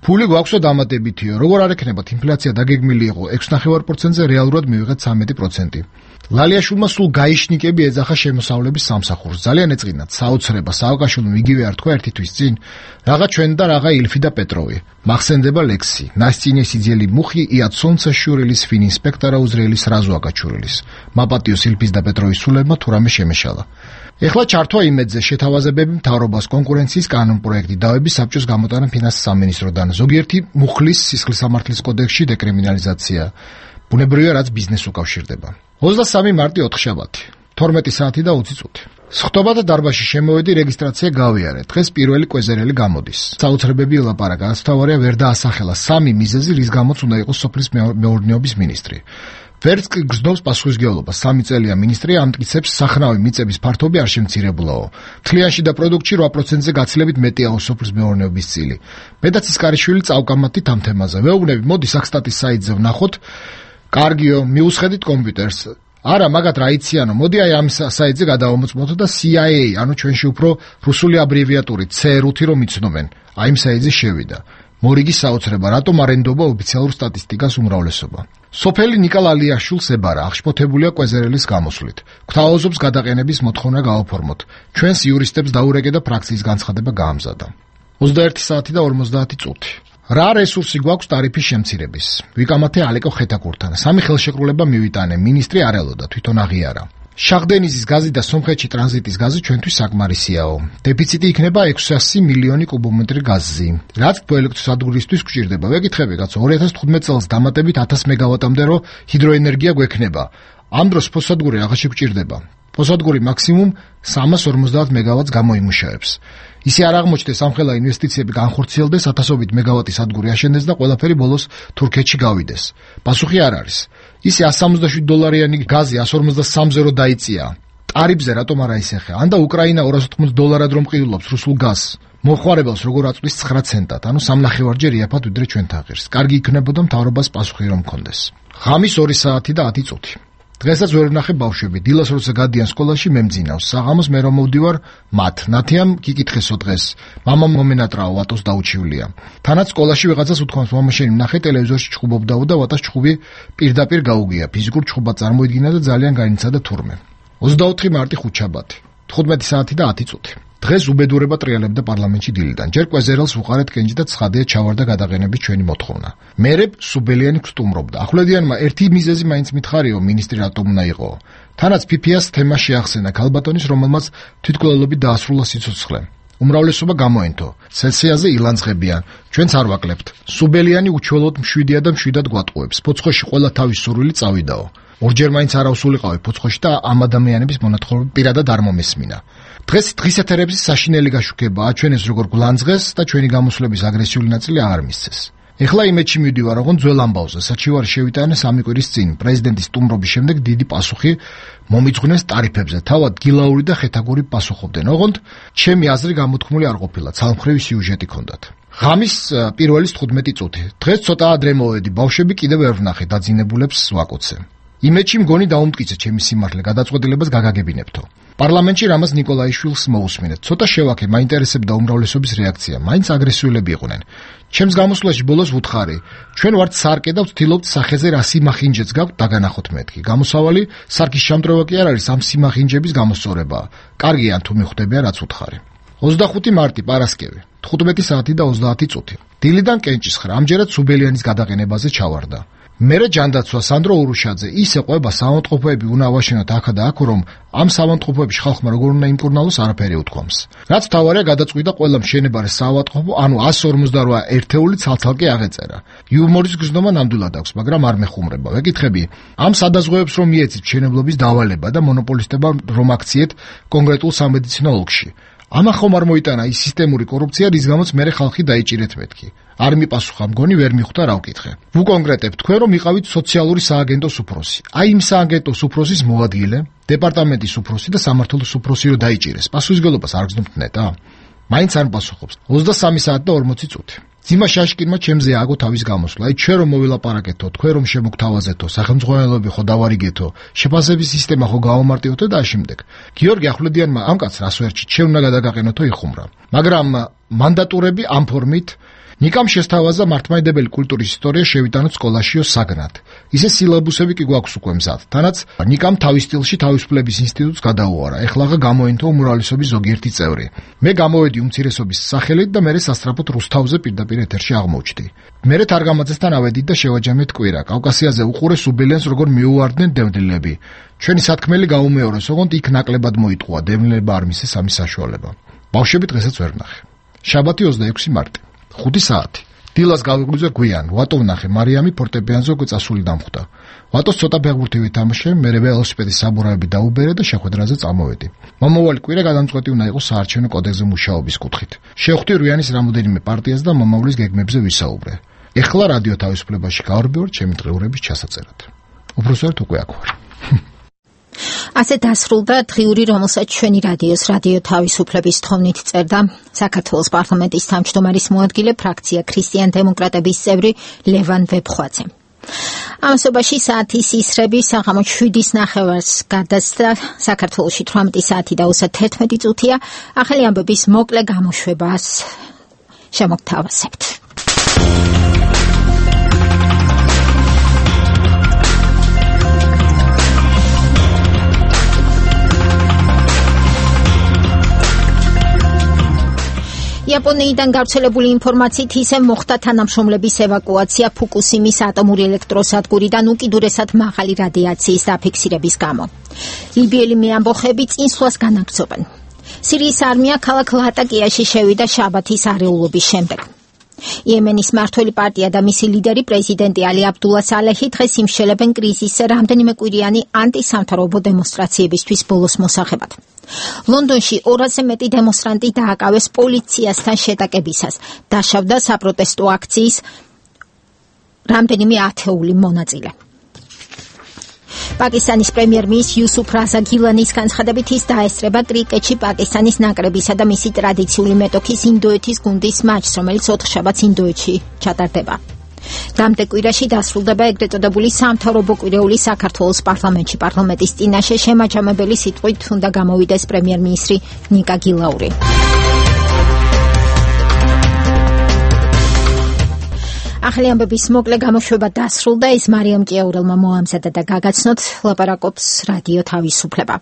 ფული გვაქვსო დამატებითიო. როგორ არ ექნებათ, ინფლაცია დაგეგმილი იყო 6.5%-ზე, რეალურად მივიღეთ 13%. ლალიაშვილმა სულ გაიშნიკები ეძახა შემოსავლების სამსახურს. ძალიან ეწყინათ საოცრება, სააკაშვილმა იგივე არ თქვა ერთი თვის წინ, რაღა ჩვენ და რაღა ილფი და პეტროვი. მახსენდება ლექსი. ნასწინე სიძელი მუხი ია ცონცაშურილის ფინ ინსპექტორა უზრელის რაზო აკაჩურილის. მაპატიოს ილფის და პეტროვის სულებმა თუ რამე შემეშალა. ეხლა ჩართვა იმედზე შეთავაზებები მთავრობას კონკურენციის კანონპროექტი დავების საბჭოს გამოტანა ფინანსის სამინისტროდან ზოგიერთი მუხლის სისხლისამართლის კოდექსში დეკრიმინალიზაცია ბუნებრივია რაც ბიზნესს უკავშირდება 23 მარტი 4 შაბათი 12 საათი და 20 წუთი სხდომათა დარბაზში შემოვედი რეგისტრაცია გავიარე დღეს პირველი კვეზერელი გამოდის საოცრებები ელაპარაკა ასთავარია ვერ დაასახელა სამი მიზეზი რის გამოც უნდა იყოს სოფლის მეურნეობის მინისტრი ვერც გრძნობს პასუხისმგებლობას 3 წელია მინისტრი ამტკიცებს სახნავი მიწების ფართობი არ შემცირებულაო თლიანში და პროდუქტში 8%-ზე გაცილებით მეტია სოფლის მეურნეობის წილი მედაცის კარიშვილი წავკამათით ამ თემაზე ვეუბნები მოდი საქსტატის საიტზე ვნახოთ კარგიო მიუსხედით კომპიუტერს არა მაგათ რა იციანო მოდი აი ამ საიტზე გადავამოწმოთ და CIA ანუ ჩვენში უფრო რუსული აბრევიატურით C5 რომ იცნობენ აი იმ საიტზე შევიდა მორიგი საოცრება რატომ არ ენდობა ოფიციალურ სტატისტიკას უმრავლესობა სოფელი ნიკა ლალიაშვილს ებარა აღშფოთებულია კვეზერელის გამოსვლით გვთავაზობს გადაყენების მოთხოვნა გააფორმოთ ჩვენს იურისტებს დაურეკე და ფრაქციის განცხადება გაამზადა 21 საათი და 50 წუთი რა რესურსი გვაქვს ტარიფის შემცირების ვიკამათე ალეკო ხეთაკურთან სამი ხელშეკრულება მივიტანე მინისტრი არ ელოდა თვითონ აღიარა შახდენიზის გაზი და სომხეთში ტრანზიტის გაზი ჩვენთვის საკმარისიაო. დეფიციტი იქნება 600 მილიონი კუბომეტრი გაზი. რაც ელექტროსადგურისთვის გვჭირდება. ვეკითხები კაცო 2015 წელს დამატებით 1000 მეგავატამდე რო ჰიდროენერგია გვექნება. ამ დროს ფოსადგური აღაში გვჭირდება. ფოსადგური მაქსიმუმ 350 მეგავატს გამოიმუშავებს. ისე არ აღმოჩნდეს ამხელა ინვესტიციები განხორციელდეს 1000-ობით მეგავატის სადგური აშენდეს და ყველაფერი ბოლოს თურქეთში გავიდეს. პასუხი არ არის. ისე $167 გაზი 153-ზე რო დაიწია. ტარიფზე რატომ არა ისეხე? ან და უკრაინა $280 რომ ყიდულობს რუსულ გაზს. მოხმარებელს როგორ აწვის 9 ცენტად, ანუ 3.5-ჯერ იაფად ვიდრე ჩვენთან ღირს. კარგი იქნებოდა მთავრობას პასუხი რომ მქონდეს. ღამის 2 საათი და 10 წუთი. დღესაც ვერ ვნახე ბავშვები. დილას როცა გადიან სკოლაში მემძინავს. საღამოს მე რომ მოვდივარ მათ. ნათიამ გიკითხესო დღეს. მამამ მომენატრაო ვატოს დაუჩივლია. თანაც სკოლაში ვიღაცას უთქვამს მამა შენ ვნახე ტელევიზორში ჩხუბობდაო და ვატას ჩხუბი პირდაპირ გაუგია. ფიზიკურ ჩხუბად წარმოიდგინა და ძალიან განიცადა თურმე. 24 მარტი ხუთშაბათი. 15 საათი და 10 წუთი. დღეს უბედურება ტრიალებდა პარლამენტში დილიდან. ჯერ კვეზერელს უყარეთ კენჭი და ცხადია ჩავარდა გადაყენების ჩვენი მოთხოვნა. მერე სუბელიანი გსტუმრობდა. ახვლედიანმა ერთი მიზეზი მაინც მითხარიო მინისტრი რატომ უნდა იყო. თანაც PPS თემა შეახსენა ქალბატონის რომელმაც თვითმკვლელობით დაასრულა სიცოცხლე. უმრავლესობა გამოენთო. სესიაზე ილანძღებიან. ჩვენც არ ვაკლებთ. სუბელიანი უჩვეულოდ მშვიდია და მშვიდად გვატყუებს. ფოცხოში ყველა თავის სურვილი წავიდაო. ორჯერ მაინც არ ავსულიყავი ფოცხოში და ამ ადამიანების მონათხოვები პირადად არ მომესმინა. დღეს დღისეთერების საშინელი გაშუქება აჩვენეს როგორ გლანძღეს და ჩვენი გამოსვლების აგრესიული ნაწილი აღარ მისცეს. ეხლა იმედში მივდივარ, რომ ძველ ამბავზე საჩივარი შევიტანე 3 კვირის წინ პრეზიდენტის სტუმრობის შემდეგ დიდი პასუხი მომიძღვნეს ტარიფებზე. თავად გილაური და ხეთაგური პასუხობდნენ. ოღონდ ჩემი აზრი გამოთქმული არ ყოფილა, ცალმხრივი სიუჟეტი ჰქონდათ. ღამის 1-ის 15 წუთი. დღეს ცოტა ადრე მოვედი, ბავშვები კიდევ ვერ ვნახე, დაძინებულებს ვაკოცე. იმედში მგონი დაუმტკიცე ჩემი სიმართლე გადაწყვეტილებას გაგაგებინებთო. პარლამენტში რამაზ ნიკოლაიშვილს მოусმინეთ. ცოტა შევაქე, მაინტერესებდა უმრავლესობის რეაქცია. მაინც აგრესიულები იყვნენ. ჩემს გამოსვლაში ბოლოს ვუთხარი, ჩვენ ვართ სარკე და ვცდილობთ სახეზე რა სიმახინჯეც გაქვთ დაგანახოთ მეთქი. გამოსავალი სარკის შამდროვა კი არ არის ამ სიმახინჯების გამოსწორებაა. კარგია თუ მიხვდებია რაც ვუთხარი. 25 მარტი პარასკევი 15 საათი და 30 წუთი. დილიდან კენჭისხრა ამჯერად სუბელიანის გადაყენებაზე ჩავარდა. მერე ჯანდაცვა სანდრო ურუშაძე ისე ყვება საავადმყოფოები უნდა ავაშენოთ აქა და აქ რომ ამ საავადმყოფოებში ხალხმა როგორ უნდა იმკურნალოს არაფერი უთქვამს. რაც თავარია გადაწყვიტა ყველა მშენებარე საავადმყოფო ანუ 158 ერთეული ცალცალკე აღეწერა. იუმორის გზნობა ნამდვილად აქვს, მაგრამ არ მეხუმრება. ვეკითხები, ამ სადაზღვევებს რომ მიეცით მშენებლობის დავალება და მონოპოლისტებმა რომ აქციეთ კონკრეტულ სამედიცინო ოლქში. ამა ხომ არ მოიტანა ის სისტემური კორუფცია, რის გამოც მერე ხალხი დაიჭირეთ მეთქი. არ მიპასუხა მგონი ვერ მიხვდა რა ვკითხე. ვუკონკრეტებ თქვენ რომ იყავით სოციალური სააგენტოს უფროსი. აი იმ სააგენტოს უფროსის მოადგილე, დეპარტამენტის უფროსი და სამმართველოს უფროსი რო დაიჭირეს. პასუხისგებლობას არ გზნობთ ნეტა? მაინც არ პასუხობს. 23 საათი და 40 წუთი. ძიმა შაშკინმა ჩემზე ააგო თავის გამოსვლა. აი ჩვენ რომ მოვილაპარაკეთო, თქვენ რომ შემოგთავაზეთო, სახელმწიფოები ხო დავარიგეთო, შეფასების სისტემა ხო გავამარტივოთ და ამავდროულად. გიორგი ახვლედიანმა ამ კაცს რას ვერჩით, ჩვენ უნდა გადაგაყენოთო იხუმრა. მაგრამ მანდატურები ამ ფორმით ნიკამ შესთავაზა მართლმადიდებელი კულტურის ისტორია შევიტანოთ სკოლაშიო საგნად. ისე სილაბუსები კი გვაქვს უკვე მზად. თანაც ნიკამ თავის სტილში თავისუფლების ინსტიტუტს გადაუარა. ეხლა გამოენთო უმრავლესობის ზოგიერთი წევრი. მე გამოვედი უმცირესობის სახელით და მერე სასწრაფოდ რუსთავზე პირდაპირ ეთერში აღმოჩნდი. მერე თარგამაძესთან ავედით და შევაჯამეთ კვირა. კავკასიაზე უყურე სუბელიანს როგორ მიუვარდნენ დევნილები. ჩვენი სათქმელი გაუმეორეს, ოღონდ იქ ნაკლებად მოიტყუა დევნილება არ მისცეს ამის საშუალება. ბავშვები დღესაც ვერ ვნახე. შაბათი 26 მარტი 5 საათი. დილას გავიღვიძე გვიან, ვატო ვნახე მარიამი ფორტეპიანზე უკვე წასული დამხვდა. ვატოს ცოტა ფეხბურთი ვითამაშე, მერე ველოსიპედის საბურავები დაუბერე და შეხვედრაზე წამოვედი. მომავალი კვირა გადამწყვეტი უნდა იყოს საარჩევნო კოდექსზე მუშაობის კუთხით. შევხვდი რვიანის რამოდენიმე პარტიას და მომავლის გეგმებზე ვისაუბრე. ეხლა რადიო თავისუფლებაში გავარბევარ ჩემი დღეურების ჩასაწერად. უბრალოდ უკვე აქ ვარ. ასე დასრულდა დღიური, რომელსაც ჩვენი რადიო თავისუფლების თხოვნით წერდა საქართველოს პარლამენტის თავმჯდომარის მოადგილე ფრაქცია ქრისტიან-დემოკრატების წევრი ლევან ვებხვაძე. ამასობაში საათის ისრები საღამო 7:09 გადასცა საქართველოში 18 საათი და 31 წუთია. ახალი ამბების მოკლე გამოშვებას შემოგთავაზებთ. იაპონიიდან გავრცელებული ინფორმაციით ისე მოხდა თანამშრომლების ევაკუაცია ფუკუსიმის ატომური ელექტროსადგურიდან უკიდურესად მაღალი რადიაციის დაფიქსირების გამო. ლიბიელი მეამბოხები წინსვლას განაგრძობენ. სირიის არმია ქალაქ ლატაკიაში შევიდა შაბათის არეულობის შემდეგ. იემენის მმართველი პარტია და მისი ლიდერი პრეზიდენტი ალი აბდულა სალეჰი დღეს იმშელებენ კრიზისზე რამდენიმე კვირიანი ანტისამთავრობო დემონსტრაციებისთვის ბოლოს მოსახებად. ლონდონში 200-ზე მეტი დემონსტრანტი დააკავეს პოლიციასთან შეტაკებისას. დაშავდა საპროტესტო აქციის რამდენიმე ათეული მონაწილე. პაკისტანის პრემიერ-მინისტრის იუსუფ რაზა გილანის განცხადებით ის დაესწრება კრიკეტში პაკისტანის ნაკრებისა და მისი ტრადიციული მეტოქის ინდოეთის გუნდის მატჩს, რომელიც 4 შაბათს ინდოეთში ჩატარდება. დამტე კვირაში დასრულდება ეგრეთ წოდებული სამთავრობო კვირეული საქართველოს პარლამენტში. პარლამენტის წინაშე შემაჯამებელი სიტყვით უნდა გამოვიდეს პრემიერ-მინისტრი ნიკა გილაური. ახალი ამბების მოკლე გამოშვება დასრულდა. ის მარიამ ჭიაურელმა მოამზადა და გაგაცნოთ, ლაპარაკობს რადიო თავისუფლება.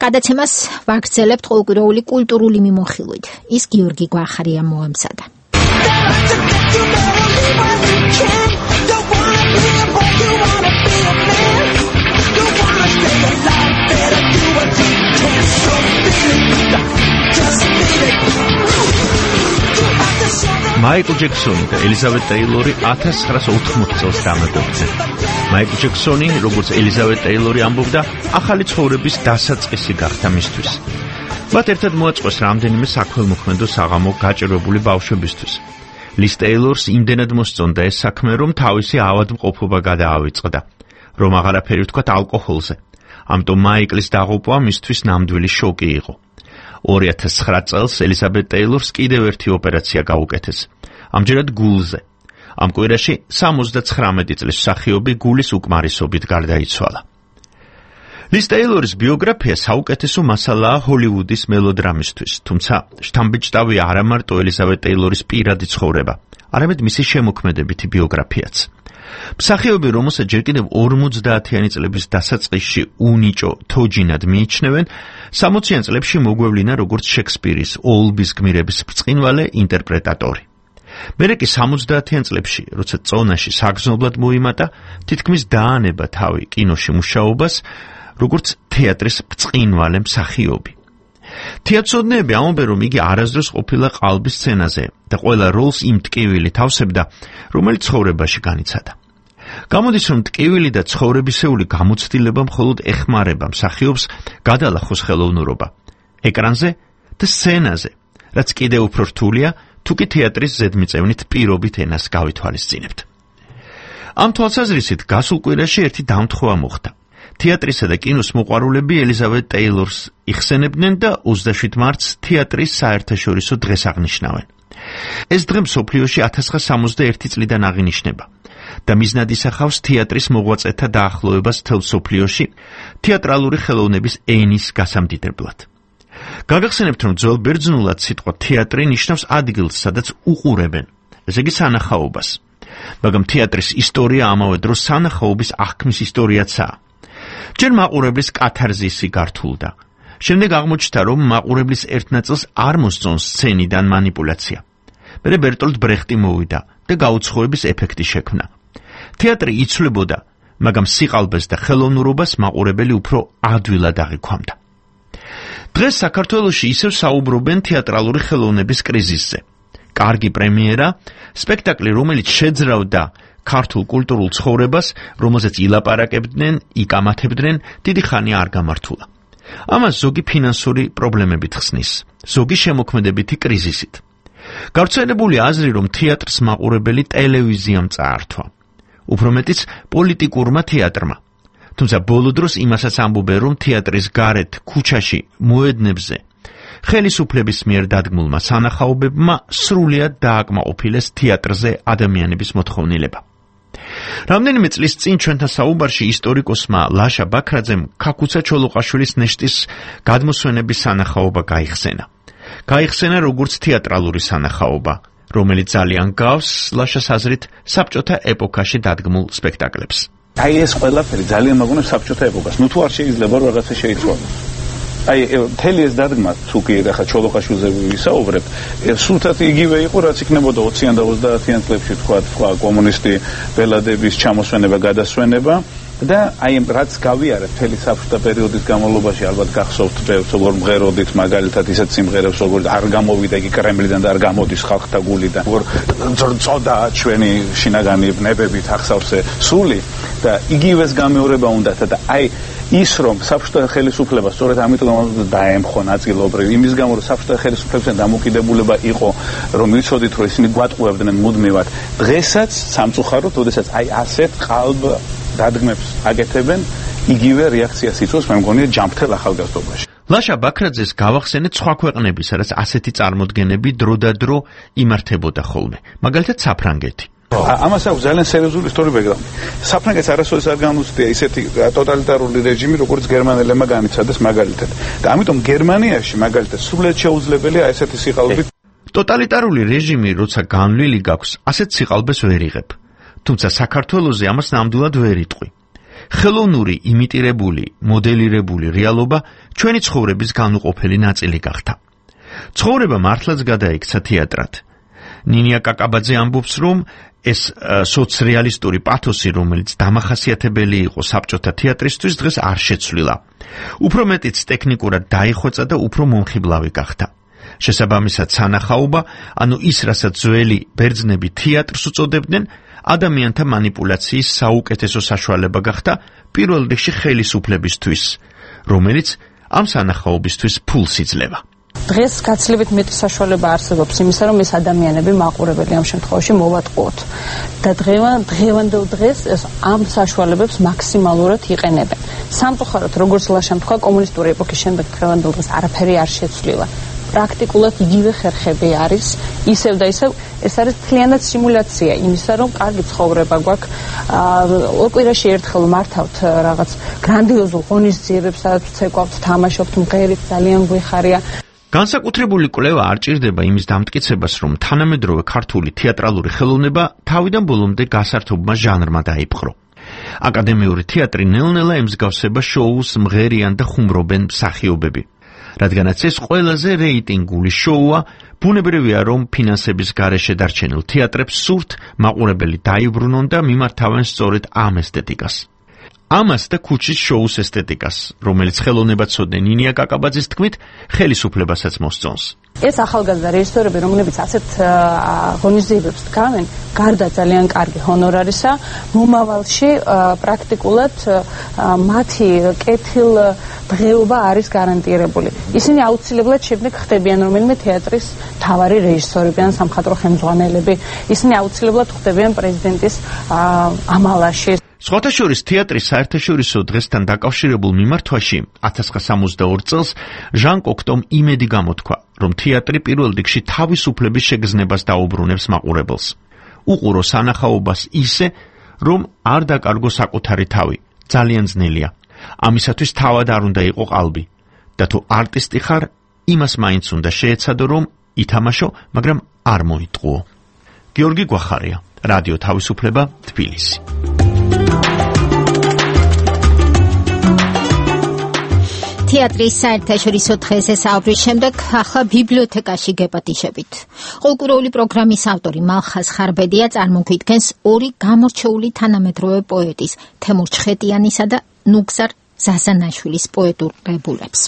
გადაცემას ვაგრძელებთ ყოველკვირეული კულტურული მიმოხილვით. ის გიორგი გვახარია მოამზადა. მაიკლ ჯექსონი და ელიზაბეთ ტეილორი 1980 წელს დამეგობრდნენ. მაიკლ ჯექსონი, როგორც ელიზაბეთ ტეილორი ამბობდა, ახალი ცხოვრების დასაწყისი გახდა მისთვის. მათ ერთად მოაწყვეს რამდენიმე საქველმოქმედო საღამო გაჭირვებული ბავშვებისთვის. ლის ტეილორს იმდენად მოსწონდა ეს საქმე, რომ თავისი ავადმყოფობა გადაავიწყდა, რომ აღარაფერი ვთქვათ ალკოჰოლზე. ამიტომ მაიკლის დაღუპვა მისთვის ნამდვილი შოკი იყო. 2009 წელს ელიზაბეთ ტეილორს კიდევ ერთი ოპერაცია გაუკეთეს. ამჯერად გულზე. ამ კვირაში 79 წლის მსახიობი გულის უკმარისობით გარდაიცვალა. ლის ტეილორის ბიოგრაფია საუკეთესო მასალაა ჰოლივუდის მელოდრამისთვის, თუმცა შთამბეჭდავი არა მარტო ელიზაბეთ ტეილორის პირადი ცხოვრება, არამედ მისი შემოქმედებითი ბიოგრაფიაც. მსახიობი, რომელსაც ჯერ კიდევ 50-იანი წლების დასაწყისში უნიჭო თოჯინად მიიჩნევენ, 60-იან წლებში მოგვევლინა როგორც შექსპირის ოლბის გმირების ბრწყინვალე ინტერპრეტატორი. მერე კი 70-იან წლებში, როცა წონაში საგრძნობლად მოიმატა, თითქმის დაანება თავი კინოში მუშაობას, როგორც თეატრის ბრწყინვალე მსახიობი. თეატრცოდნეები ამბობენ, რომ იგი არასდროს ყოფილა ყალბის სცენაზე და ყველა როლს იმ ტკივილით ავსებდა, რომელიც ცხოვრებაში განიცადა. გამოდის, რომ ტკივილი და ცხოვრებისეული გამოცდილება მხოლოდ ეხმარება მსახიობს გადალახოს ხელოვნურობა ეკრანზე და სცენაზე, რაც კიდევ უფრო რთულია, თუკი თეატრის ზედმიწევნით პირობით ენას გავითვალისწინებთ. ამ თვალსაზრისით გასულ კვირაში ერთი დამთხოვა მოხდა. თეატრისა და კინოს მოყვარულები ელიზაბეთ ტეილორს იხსენებდნენ და 27 მარტს თეატრის საერთაშორისო დღეს აღნიშნავენ. ეს დღე მსოფლიოში 1961 წლიდან აღინიშნება და მიზნად ისახავს თეატრის მოღვაწეთა დაახლოებას მთელ მსოფლიოში თეატრალური ხელოვნების ენის გასამდიდებლად. გაგახსენებთ, რომ ძველ ბერძნულად სიტყვა თეატრი ნიშნავს ადგილს, სადაც უყურებენ, ესე იგი სანახაობას. მაგრამ თეატრის ისტორია ამავე დროს სანახაობის აღქმის ისტორიაცაა. ჯერ მაყურებლის კათარზისი გართულდა. შემდეგ აღმოჩნდა, რომ მაყურებლის ერთ ნაწილს არ მოსწონს სცენიდან მანიპულაცია. მერე ბერტოლდ ბრეხტი მოვიდა და გაუცხოების ეფექტი შექმნა. თეატრი იცვლებოდა, მაგრამ სიყალბეს და ხელოვნურობას მაყურებელი უფრო ადვილად აღიქვამდა. დღეს საქართველოში ისევ საუბრობენ თეატრალური ხელოვნების კრიზისზე. კარგი პრემიერა, სპექტაკლი, რომელიც შეძრავდა ქართულ კულტურულ ცხოვრებას, რომელზეც ილაპარაკებდნენ, იკამათებდნენ, დიდი ხანი არ გამართულა. ამას ზოგი ფინანსური პრობლემებით ხსნის, ზოგი შემოქმედებითი კრიზისით. გავრცელებული აზრი, რომ თეატრს მაყურებელი ტელევიზიამ წაართვა. უფრო მეტიც პოლიტიკურმა თეატრმა. თუმცა ბოლო დროს იმასაც ამბობენ, რომ თეატრის გარეთ, ქუჩაში, მოედნებზე ხელისუფლების მიერ დადგმულმა სანახაობებმა სრულიად დააკმაყოფილეს თეატრზე ადამიანების მოთხოვნილება. რამდენიმე წლის წინ ჩვენთან საუბარში ისტორიკოსმა ლაშა ბაქრაძემ ქაქუცა ჩოლოყაშვილის ნეშტის გადმოსვენების სანახაობა გაიხსენა. გაიხსენა როგორც თეატრალური სანახაობა, რომელიც ძალიან გავს ლაშას აზრით საბჭოთა ეპოქაში დადგმულ სპექტაკლებს. აი ეს ყველაფერი ძალიან მაგონებს საბჭოთა ეპოქას. ნუ თუ არ შეიძლება რომ რაღაცა შეიცვალოს. აი მთელი ეს დადგმა თუ კი ახლა ჩოლოყაშვილზე ვისაუბრებ, სულთად იგივე იყო, რაც იქნებოდა 20-იან და 30-იან წლებში თქვა კომუნისტი ბელადების ჩამოსვენება, გადასვენება და აი რაც გავიარეთ მთელი საბჭოთა პერიოდის განმავლობაში, ალბათ გახსოვთ როგორ მღეროდით მაგალითად ისეთ სიმღერებს, როგორ არ გამოვიდა იგი კრემლიდან და არ გამოდის ხალხთა გულიდან, როგორ წოდა ჩვენი შინაგანი ნებებით ახსავსე სული და იგივეს გამეორება უნდათ და აი ის რომ საბჭოთა ხელისუფლება სწორედ ამიტომ დაემხო ნაწილობრივ იმის გამო რომ საბჭოთა ხელისუფლებასთან დამოკიდებულება იყო რომ ვიცოდით რომ ისინი გვატყუებდნენ მუდმივად დღესაც სამწუხაროდ ოდესაც აი ასეთ ყალბ დადგმებს აკეთებენ იგივე რეაქციას იწვევს მე მგონია ჯამთელ ახალგაზრდობაში. ლაშა ბაქრაძეს გავახსენეთ სხვა ქვეყნების, სადაც ასეთი წარმოდგენები დროდადრო იმართებოდა ხოლმე, მაგალითად საფრანგეთი. ამას აქვს ძალიან სერიოზული ისტორიული ბექგრაუნდი. საფრანგეთს არასოდეს არ განუცდია ისეთი ტოტალიტარული რეჟიმი, როგორც გერმანელებმა განიცადეს მაგალითად. და ამიტომ გერმანიაში მაგალითად სრულიად შეუძლებელია ესეთი სიყალბით. ტოტალიტარული რეჟიმი, როცა განვლილი გაქვს, ასეთ სიყალბეს ვერ იღებ. თუმცა საქართველოზე ამას ნამდვილად ვერ იტყვი. ხელოვნური, იმიტირებული, მოდელირებული რეალობა ჩვენი ცხოვრების განუყოფელი ნაწილი გახდა. ცხოვრება მართლაც გადაიქცა თეატრად. ნინია კაკაბაძე ამბობს, რომ ეს სოციალისტური პათოსი, რომელიც დამახასიათებელი იყო საბჭოთა თეატრისთვის, დღეს არ შეცვლილა. უფრო მეტიც ტექნიკურად დაიხვეწა და უფრო მომხიბლავი გახდა. შესაბამისად, სანახაობა, ანუ ის, რასაც ძველი ბერძნები თეატრს უწოდებდნენ, ადამიანთა манипуляციის საუკეთესო საშუალება გახდა პირველ რიგში ხელისუფლებისთვის, რომელიც ამ სანახაობისთვის ფულს იძლევა. დღეს გაცილებით მეტი საშუალება არსებობს იმისა, რომ ეს ადამიანები მაყურებელი ამ შემთხვევაში მოვატყუოთ. და დღევანდელ დღეს ამ საშუალებებს მაქსიმალურად იყენებენ. სამწუხაროდ, როგორც ლაშამ თქვა, კომუნისტური ეპოქის შემდეგ დღევანდელ დღეს არაფერი არ შეცვლილა. პრაქტიკულად იგივე ხერხები არის, ისევ და ისევ ეს არის მთლიანად სიმულაცია იმისა, რომ კარგი ცხოვრება გვაქვს. ორ კვირაში ერთხელ მართავთ რაღაც გრანდიოზულ ღონისძიებებს, სადაც ცეკვავთ, თამაშობთ, მღერით, ძალიან გვიხარია. განსაკუთრებული კვლევა არ ჭირდება იმის დამტკიცებას, რომ თანამედროვე ქართული თეატრალური ხელოვნება თავიდან ბოლომდე გასართობმა ჟანრმა დაიპყრო. აკადემიური თეატრი ნელ-ნელა ემსგავსება შოუს მღერიან და ხუმრობენ მსახიობები. რადგანაც ეს ყველაზე რეიტინგული შოუა, ბუნებრივია, რომ ფინანსების გარეშე დარჩენილ თეატრებს სურთ მაყურებელი დაიბრუნონ და მიმართავენ სწორედ ამ ესთეტიკას. ამას და ქუჩის შოუს ესთეტიკას, რომელიც ხელოვნებაცოდნე ნინია კაკაბაძის თქმით, ხელისუფლებასაც მოსწონს. ეს ახალგაზრდა რეჟისორები, რომლებიც ასეთ ღონისძიებებს დგამენ, გარდა ძალიან კარგი ჰონორარისა, მომავალში პრაქტიკულად მათი კეთილდღეობა არის გარანტირებული. ისინი აუცილებლად შემდეგ ხდებიან რომელიმე თეატრის მთავარი რეჟისორები ან სამხატვრო ხელმძღვანელები. ისინი აუცილებლად ხდებიან პრეზიდენტის ამალაში. სხვათა შორის თეატრის საერთაშორისო დღესთან დაკავშირებულ მიმართვაში 1962 წელს ჟან კოქტომ იმედი გამოთქვა, რომ თეატრი პირველ რიგში თავისუფლების შეგრძნებას დაუბრუნებს მაყურებელს. უყურო სანახაობას ისე, რომ არ დაკარგო საკუთარი თავი, ძალიან ძნელია. ამისათვის თავად არ უნდა იყო ყალბი. და თუ არტისტი ხარ, იმას მაინც უნდა შეეცადო, რომ ითამაშო, მაგრამ არ მოიტყუო. გიორგი გვახარია, რადიო თავისუფლება, თბილისი. თეატრის საერთაშორისო დღეზე საუბრის შემდეგ ახლა ბიბლიოთეკაში გეპატიშებით. ყოლკურეული პროგრამის ავტორი მალხაზ ხარბედია წარმოგვიდგენს ორი გამორჩეული თანამედროვე პოეტის თემურ ჩხეტიანისა და ნუგზარ ზაზანაშვილის პოეტურ კრებულებს.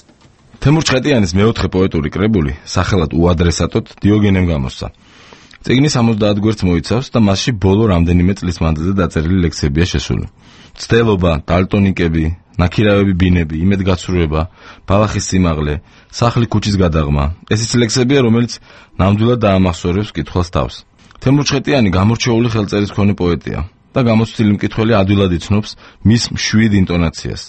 თემურ ჩხეტიანის მეოთხე პოეტური კრებული სახელად უადრესატოდ დიოგენემ გამოსცა. წიგნი 70 გვერდს მოიცავს და მასში ბოლო რამდენიმე წლის მანძილზე დაწერილი ლექსებია შესული. ცდელობა, დალტონიკები, ნაქირავები ბინები, იმედგაცრუება, ბალახის სიმაღლე, სახლი ქუჩის გადაღმა. ეს ის ლექსებია, რომელიც ნამდვილად დაამახსოვრებს კითხვას თავს. თემურ ჩხეტიანი გამორჩეული ხელწერის მქონე პოეტია და გამოცდილი მკითხველი ადვილად იცნობს მის მშვიდ ინტონაციას.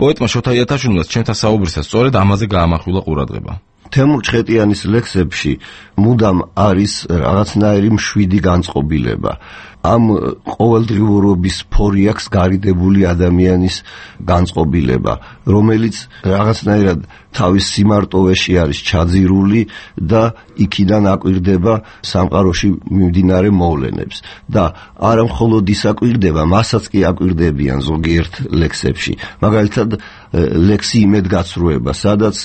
პოეტმა შოთა იათაშვილმა ჩემთან საუბრისას სწორედ ამაზე გაამახვილა ყურადღება. თემურ ჩხეტიანის ლექსებში მუდამ არის რაღაცნაირი მშვიდი განწყობილება. ამ ყოველდღიურობის ფორიაქს გარიდებული ადამიანის განწყობილება, რომელიც რაღაცნაირად თავის სიმარტოვეში არის ჩაძირული და იქიდან აკვირდება სამყაროში მიმდინარე მოვლენებს. და არა მხოლოდ ის აკვირდება, მასაც კი აკვირდებიან ზოგიერთ ლექსებში. მაგალითად, ლექსი იმედგაცრუება, სადაც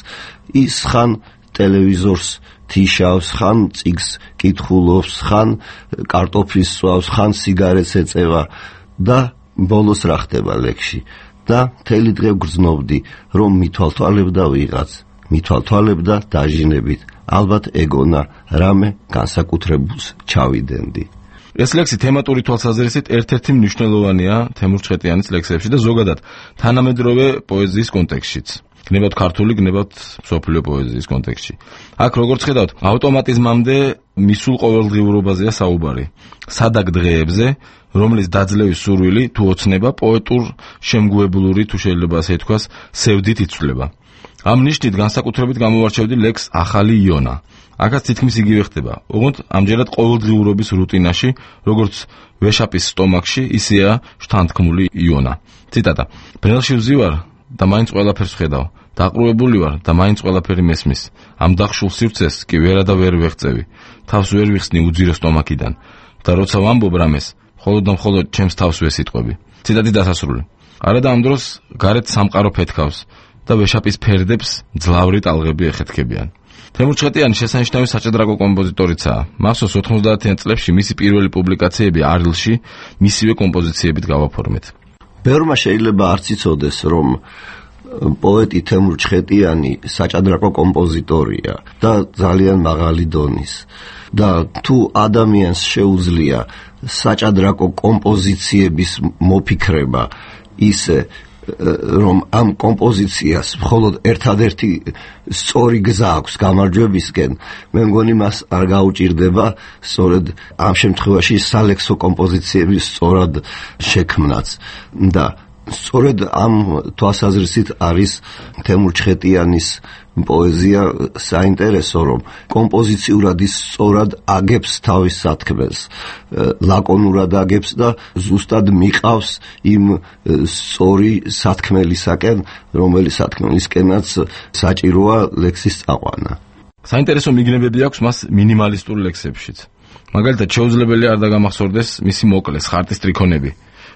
ის ხან ტელევიზორს თიშავს, ხან წიგს კითხულობს, ხან კარტოფილს სწვავს, ხან სიგარეტს ეწევა და ბოლოს რა ხდება ლექსში. და მთელი დღე გრძნობდი, რომ მithვალთვალებდა ვიღაც, მithვალთვალებდა დაჟინებით, ალბათ ეგონა რამე განსაკუთრებულს ჩავიდენდი. ეს ლექსი თემატური თვალსაზრისით ერთ-ერთი მნიშვნელოვანია თემურ ჩხეტიანის ლექსებში და ზოგადად თანამედროვე პოეზიის კონტექსტშიც. გნებავთ ქართული, გნებავთ მსოფლიო პოეზიის კონტექსტში. აქ როგორც ხედავთ, ავტომატიზმამდე მისულ ყოველდღიურობაზეა საუბარი. სადაგ დღეებზე, რომლის დაძლევის სურვილი თუ ოცნება პოეტურ შემგუებლური, თუ შეიძლება ასე ითქვას, სევდით იცვლება. ამ ნიშნით განსაკუთრებით გამოვარჩევდი ლექს ახალი იონა. აქაც თითქმის იგივე ხდება. ოღონდ ამჯერად ყოველდღიურობის რუტინაში, როგორც ვეშაპის სტომაქში, ისეა შთანთქმული იონა. ციტატა: ბრელში ვზივარ და მაინც ყველაფერს ხედავ. დაყრუებული ვარ და მაინც ყველაფერი მესმის. ამ დახშულ სივრცეს კი ვერა და ვერ ვეღწევი. თავს ვერ ვიხსნი უძირო სტომაქიდან. და როცა ვამბობ რამეს, მხოლოდ და მხოლოდ ჩემს თავს ვესიტყვები. ციტატის დასასრული. არადა ამ დროს გარეთ სამყარო ფეთქავს და ვეშაპის ფერდებს ძლავრი ტალღები ეხეთქებიან. თემურ ჩხეტიანი შესანიშნავი საჭადრაკო კომპოზიტორიცაა. მახსოვს 90-იან წლებში მისი პირველი პუბლიკაციები არილში მისივე კომპოზიციებით გავაფორმეთ. ბევრმა შეიძლება არც იცოდეს, რომ პოეტი თემურ ჩხეტიანი საჭადრაკო კომპოზიტორია და ძალიან მაღალი დონის. და თუ ადამიანს შეუძლია საჭადრაკო კომპოზიციების მოფიქრება ისე, რომ ამ კომპოზიციას მხოლოდ ერთადერთი სწორი გზა აქვს გამარჯვებისკენ, მე მგონი მას არ გაუჭირდება სწორედ ამ შემთხვევაში სალექსო კომპოზიციების სწორად შექმნაც. და სწორედ ამ თვალსაზრისით არის თემურ ჩხეტიანის პოეზია საინტერესო, რომ კომპოზიციურად ის სწორად აგებს თავის სათქმელს, ლაკონურად აგებს და ზუსტად მიყავს იმ სწორი სათქმელისაკენ, რომელი სათქმელისკენაც საჭიროა ლექსის წაყვანა. საინტერესო მიგნებები აქვს მას მინიმალისტურ ლექსებშიც. მაგალითად, შეუძლებელი არ დაგამახსოვრდეს მისი მოკლეს ხარტის ტრიქონები.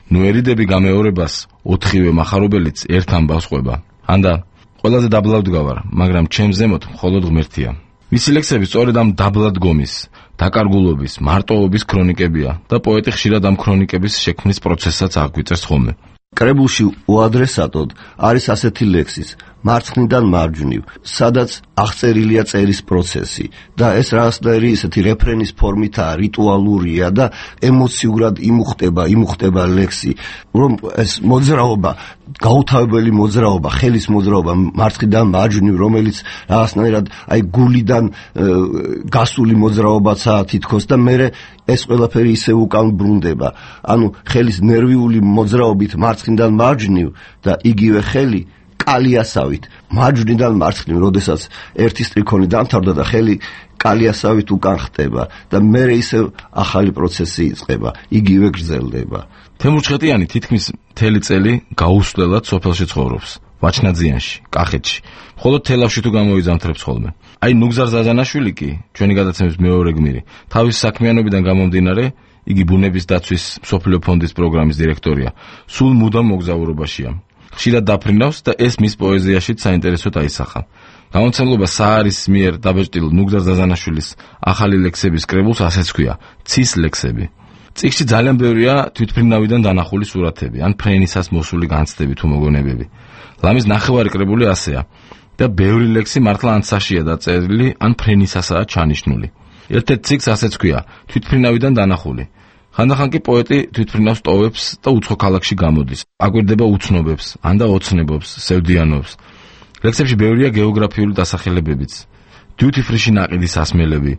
ნუ ერიდები გამეორებას, ოთხივე მახარობელიც ერთ ამბავს ყვება. ანდა ყველაზე დაბლად გავარ, მაგრამ ჩემ ზემოთ მხოლოდ ღმერთია. მისი ლექსები სწორედ ამ დაბლად გომის, დაკარგულობის, მარტოობის ქრონიკებია და პოეტი ხშირად ამ ქრონიკების შექმნის პროცესსაც აღგვიწერს ხოლმე. კრებულში უადრესატოდ არის ასეთი ლექსის მარცხნიდან მარჯვნივ, სადაც აღწერილია წერის პროცესი და ეს რაღაცნაირი ესეთი რეფრენის ფორმითაა, რიტუალურია და ემოციურად იმუხტება ლექსი, რომ ეს მოძრაობა, გაუთავებელი მოძრაობა, ხელის მოძრაობა მარცხნიდან მარჯვნივ, რომელიც რაღაცნაირად აი გულიდან გასული მოძრაობაცაა თითქოს და მე ეს ყველაფერი ისე უკან ბრუნდება. ანუ ხელის ნერვიული მოძრაობით მარცხნიდან მარჯვნივ და იგივე ხელი კალიასავით მარჯვნიდან მარცხნივ, როდესაც ერთი სტრიქონი დამთავრდა და ხელი კალიასავით უკან ხტება და მე ისე ახალი პროცესი იწყება, იგივე გრძელდება. თემურ ჩხეტიანი თითქმის მთელი წელი გაუსვლელად სოფელში ცხოვრობს, ვაჩნაძიანში, კახეთში. მხოლოდ თელავში თუ გამოიზამთრებს ხოლმე. აი ნუგზარ ზაზანაშვილი კი, ჩვენი გადაცემის მეორე გმირი, თავის საქმიანობიდან გამომდინარე, იგი ბუნების დაცვის მსოფლიო ფონდის პროგრამის დირექტორია, სულ მუდამ მოგზაურობაშია. ხშირად დაფრინავს და ეს მის პოეზიაშიც საინტერესოდ აისახა. გამომცემლობა საარის მიერ დაბეჭდილ ნუგზარ ზაზანაშვილის ახალი ლექსების კრებულს ასეც ჰქვია, ცის ლექსები. წიგნში ძალიან ბევრია თვითმფრინავიდან დანახული სურათები, ან ფრენისას მოსული განცდები თუ მოგონებები. ლამის ნახევარი კრებული ასეა და ბევრი ლექსი მართლა ანსაშია დაწერილი, ან ფრენისასაა ჩანიშნული. ერთ-ერთ წიგნს ასეც ჰქვია, თვითმფრინავიდან დანახული. ხანდახან კი პოეტი თვითმფრინავს ტოვებს და უცხო ქალაქში გამოდის. აკვირდება უცნობებს, ან და ოცნებობს, სევდიანობს. ლექსებში ბევრია გეოგრაფიული დასახელებებიც. დიუთი ფრიში ნაყიდის ასმელები.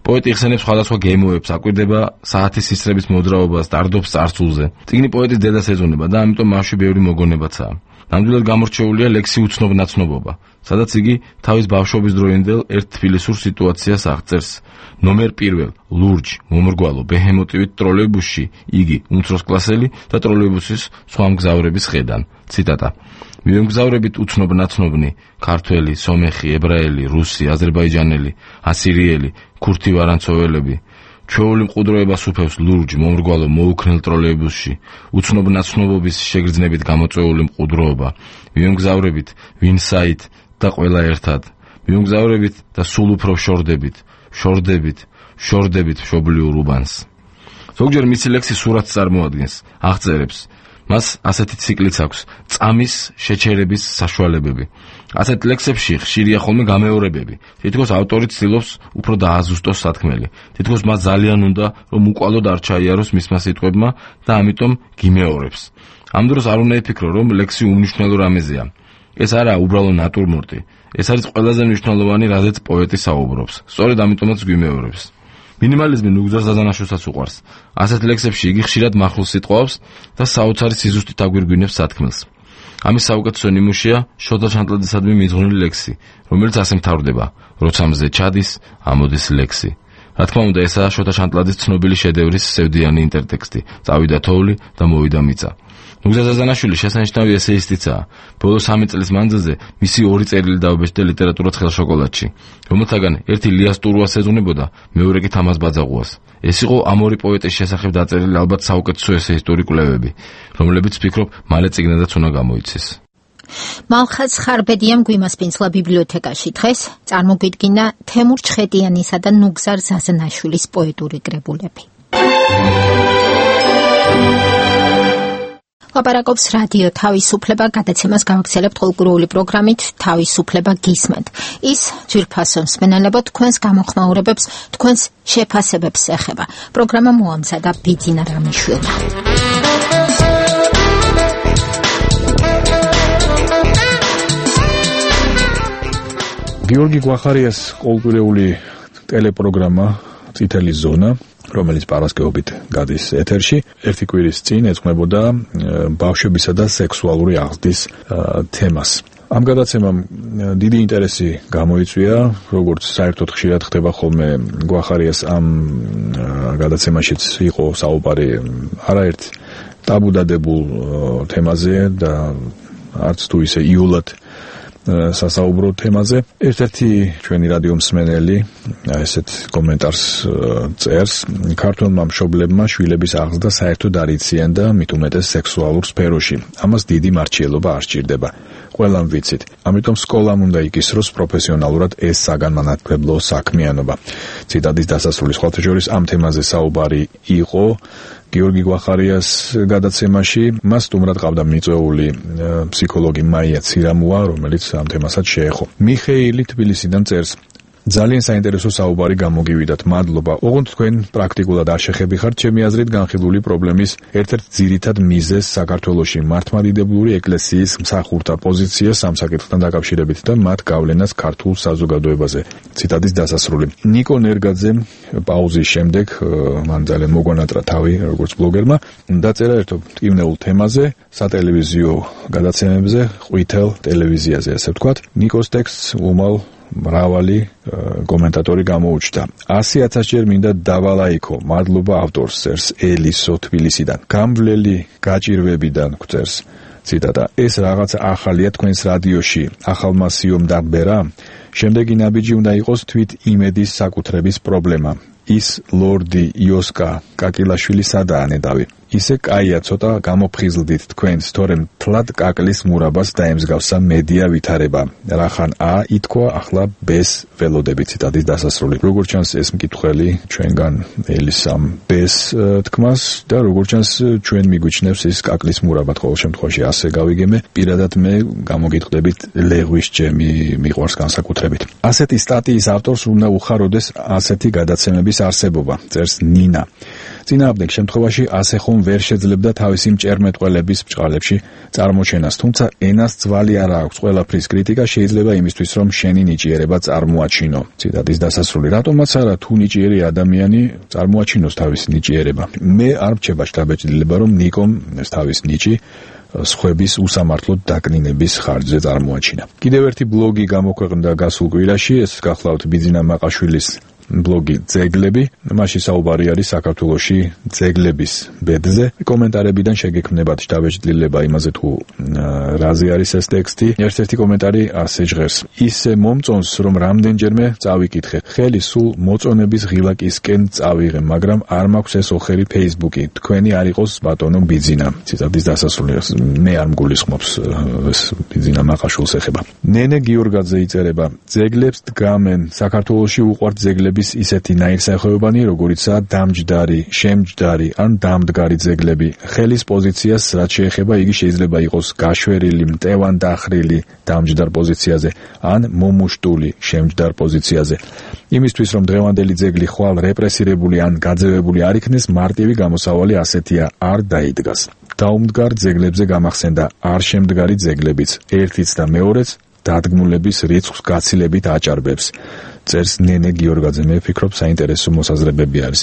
პოეტი იხსენებს სხვადასხვა გემოებს, აკვირდება საათის ისრების მოძრაობას, დარდობს წარსულზე. წიგნი პოეტის დედას ეძღვნება და ამიტომ მასში ბევრი მოგონებაცაა. ნამდვილად გამორჩეულია ლექსი უცნობ-ნაცნობობა, სადაც იგი თავის ბავშვობის დროინდელ ერთ თბილისურ სიტუაციას აღწერს. ნომერ პირველ, ლურჯ, მომრგვალო, ბეჰემოტივით ტროლეიბუსში იგი უმცროსკლასელი და ტროლეიბუსის სხვა მგზავრების ხედან. ციტატა. მივემგზავრებით უცნობ-ნაცნობნი, ქართველი, სომეხი, ებრაელი, რუსი, აზერბაიჯანელი, ასირიელი, ქურთი ვარანცოველები. ჩვეული მყუდროება სუფევს ლურჯ, მომრგვალო, მოუქნელ ტროლეიბუსში, უცნობ-ნაცნობობის შეგრძნებით გამოწვეული მყუდროობა. მივემგზავრებით ვინსაით და ყველა ერთად. მივემგზავრებით და სულ უფრო შორდებით მშობლიურ უბანს. ზოგჯერ მისი ლექსი სურათს წარმოადგენს, აღწერებს. მას ასეთი ციკლიც აქვს, წამის შეჩერების საშუალებები. ასეთ ლექსებში ხშირია ხოლმე გამეორებები. თითქოს ავტორი ცდილობს უფრო დააზუსტოს სათქმელი. თითქოს მას ძალიან უნდა, რომ უკვალოდ არ ჩაიაროს მისმა სიტყვებმა და ამიტომ გიმეორებს. ამ დროს არ უნდა იფიქრო, რომ ლექსი უმნიშვნელო რამეზეა. ეს არაა უბრალო ნატურმორტი. ეს არის ყველაზე მნიშვნელოვანი, რაზეც პოეტი საუბრობს. სწორედ ამიტომაც გვიმეორებს. მინიმალიზმი ნუგზარ ზაზანაშვილსაც უყვარს. ასეთ ლექსებში იგი ხშირად მახვილს სიტყვავს და საოცარი სიზუსტით აგვირგვინებს სათქმელს. ამის საუკეთესო ნიმუშია შოთა ჩანტლაძისადმი მიძღვნილი ლექსი, რომელიც ასე მთავრდება: როცა მზე ჩადის, ამოდის ლექსი. რა თქმა უნდა, ესაა შოთა ჩანტლაძის ცნობილი შედევრის სევდიანი ინტერტექსტი, წავიდა თოვლი და მოვიდა მიწა. ნუგზარ ზაზანაშვილი შესანიშნავი ესეისტიცაა. ბოლო 3 წლის მანძილზე მისი 2 წერილი დააბეჭდა ლიტერატურა ცხელ შოკოლადში, რომელთაგან ერთი ლიას ტურუას ეძღვნებოდა, მეორე კი თამაზ ბაძაღუას. ეს იყო ამ ორი პოეტის შესახებ დაწერილი ალბათ საუკეთესო ესეისტური კვლევები, რომლებიც ვფიქრობ, მალე წიგნადაც უნდა გამოიცეს. მალხაზ ხარბედიამ გვიმასპინძლა ბიბლიოთეკაში. დღეს წარმოგვიდგინა თემურ ჩხეტიანისა და ნუგზარ ზაზანაშვილის პოეტური კრებულები. ლაპარაკობს რადიო თავისუფლება, გადაცემას გავაგრძელებთ ყოველკვირეული პროგრამით თავისუფლება გისმენთ. ის ძვირფასო მსმენელებო თქვენს გამოხმაურებებს, თქვენს შეფასებებს ეხება. პროგრამა მოამზადა ბიძინა რამიშვილმა. გიორგი გვახარიას ყოველკვირეული ტელეპროგრამა წითელი ზონა, რომელიც პარასკევობით გადის ეთერში. ერთი კვირის წინ ეძღვნებოდა ბავშვებისა და სექსუალური აღზრდის თემას. ამ გადაცემამ დიდი ინტერესი გამოიწვია, როგორც საერთოდ ხშირად ხდება ხოლმე გვახარიას ამ გადაცემაშიც იყო საუბარი არაერთ ტაბუდადებულ თემაზე და არც თუ ისე იულად სასაუბრო თემაზე. ერთ-ერთი ჩვენი რადიო მსმენელი ესეთ კომენტარს წერს: ქართველმა მშობლებმა შვილების აღზრდა საერთოდ არ იციან და მით უმეტეს სექსუალურ სფეროში. ამას დიდი მარჩიელობა არ სჭირდება. ყველამ ვიცით. ამიტომ სკოლამ უნდა იკისროს პროფესიონალურად ეს საგანმანათლებლო საქმიანობა. ციტატის დასასრული. სხვათა შორის ამ თემაზე საუბარი იყო გიორგი გვახარიას გადაცემაში. მას სტუმრად ყავდა მიწვეული ფსიქოლოგი მაია ცირამუა, რომელიც ამ თემასაც შეეხო. მიხეილი თბილისიდან წერს: ძალიან საინტერესო საუბარი გამოგივიდათ. მადლობა. ოღონდ თქვენ პრაქტიკულად არ შეხებიხართ ჩემი აზრით განხილული პრობლემის ერთ-ერთ ძირითად მიზეზს საქართველოში მართლმადიდებლური ეკლესიის მსახურთა პოზიციას ამ საკითხთან დაკავშირებით და მათ გავლენას ქართულ საზოგადოებაზე. ციტატის დასასრული. ნიკო ნერგაძემ პაუზის შემდეგ მან ძალიან მოგვანატრა თავი როგორც ბლოგერმა დაწერა ერთ მტკივნეულ თემაზე სატელევიზიო გადაცემებზე ყვითელ ტელევიზიაზე ასე ვთქვათ. ნიკოს ტექსტს უმალ მრავალი კომენტატორი გამოუჩნდა. 100,000 ჯერ მინდა დავალაიქო. მადლობა ავტორს წერს ელისო თბილისიდან. გამვლელი გაჭირვებიდან გვწერს ციტატა: ეს რაღაცა ახალია თქვენს რადიოში. ახალმა სიომ დაბერა. შემდეგი ნაბიჯი უნდა იყოს თვით იმედის საკუთრების პრობლემა. ის ლორდი იოსკა კაკილაშვილი სადაა ნედავი. ისე კაია ცოტა გამოფხიზლდით თქვენს, თორემ თლად კაკლის მურაბას დაემსგავსა მედია ვითარება. რახან ა ითქვა, ახლა ბეს ველოდები. ციტატის დასასრული. როგორც ჩანს ეს მკითხველი ჩვენგან ელისამ ბეს თქმას და როგორც ჩანს ჩვენ მიგვიჩნევს ის კაკლის მურაბად ყოველ შემთხვევაში ასე გავიგემე. პირადად მე გამოგიტყდებით ლეღვის ჯემი მიყვარს განსაკუთრებით. ასეთი სტატიის ავტორს უნდა უხაროდეს ასეთი გადაცემების არსებობა, წერს ნინა. წინააღმდეგ შემთხვევაში ასე ხომ ვერ შეძლებდა თავისი მჭერმეტყველების ბჭყალებში წარმოჩენას, თუმცა ენას ძვალი არ აქვს. ყველაფრის კრიტიკა შეიძლება იმისთვის, რომ შენი ნიჭიერება წარმოაჩინო. ციტატის დასასრული. რატომაც არა, თუ ნიჭიერი ადამიანი წარმოაჩინოს თავისი ნიჭიერება. მე არ მრჩება შთაბეჭდილება, რომ ნიკომ ეს თავის ნიჭი სხვების უსამართლოდ დაკნინების ხარჯზე წარმოაჩინა. კიდევ ერთი ბლოგი გამოქვეყნდა გასულ კვირაში, ეს გახლავთ ბიძინა მაყაშვილის ბლოგი ძეგლები. მასში საუბარი არის საქართველოში ძეგლების ბედზე. კომენტარებიდან შეგექმნებათ შთაბეჭდილება იმაზე თუ რაზე არის ეს ტექსტი. ერთ-ერთი კომენტარი ასე ჟღერს: ისე მომწონს, რომ რამდენჯერმე წავიკითხე. ხელი სულ მოწონების ღილაკისკენ წავიღე, მაგრამ არ მაქვს ეს ოხერი Facebook-ი. თქვენი არ იყოს ბატონო ბიძინა. ციტატის დასასრული. მე არ მგულისხმობს ეს ბიძინა მაყაშვილს ეხება. ნენე გიორგაძე იწერება: ძეგლებს დგამენ. საქართველოში უყვართ ძეგლები ისეთი ნაირსახეობანი, როგორიცაა დამჯდარი, შემჯდარი ან დამდგარი ძეგლები. ხელის პოზიციას რაც შეეხება, იგი შეიძლება იყოს გაშვერილი, მტევანდახრილი დამჯდარ პოზიციაზე ან მომუშტული შემჯდარ პოზიციაზე. იმისთვის, რომ დღევანდელი ძეგლი ხვალ რეპრესირებული ან გაძევებული არ იქნეს, მარტივი გამოსავალი ასეთია: არ დაიდგას. დაუმდგარ ძეგლებზე გამახსენდა არ შემდგარი ძეგლებიც, ერთიც და მეორეც დადგმულების რიცხვს გაცილებით აჭარბებს. წერს ნენე გიორგაძე. მე ვფიქრობ, საინტერესო მოსაზრებები არის.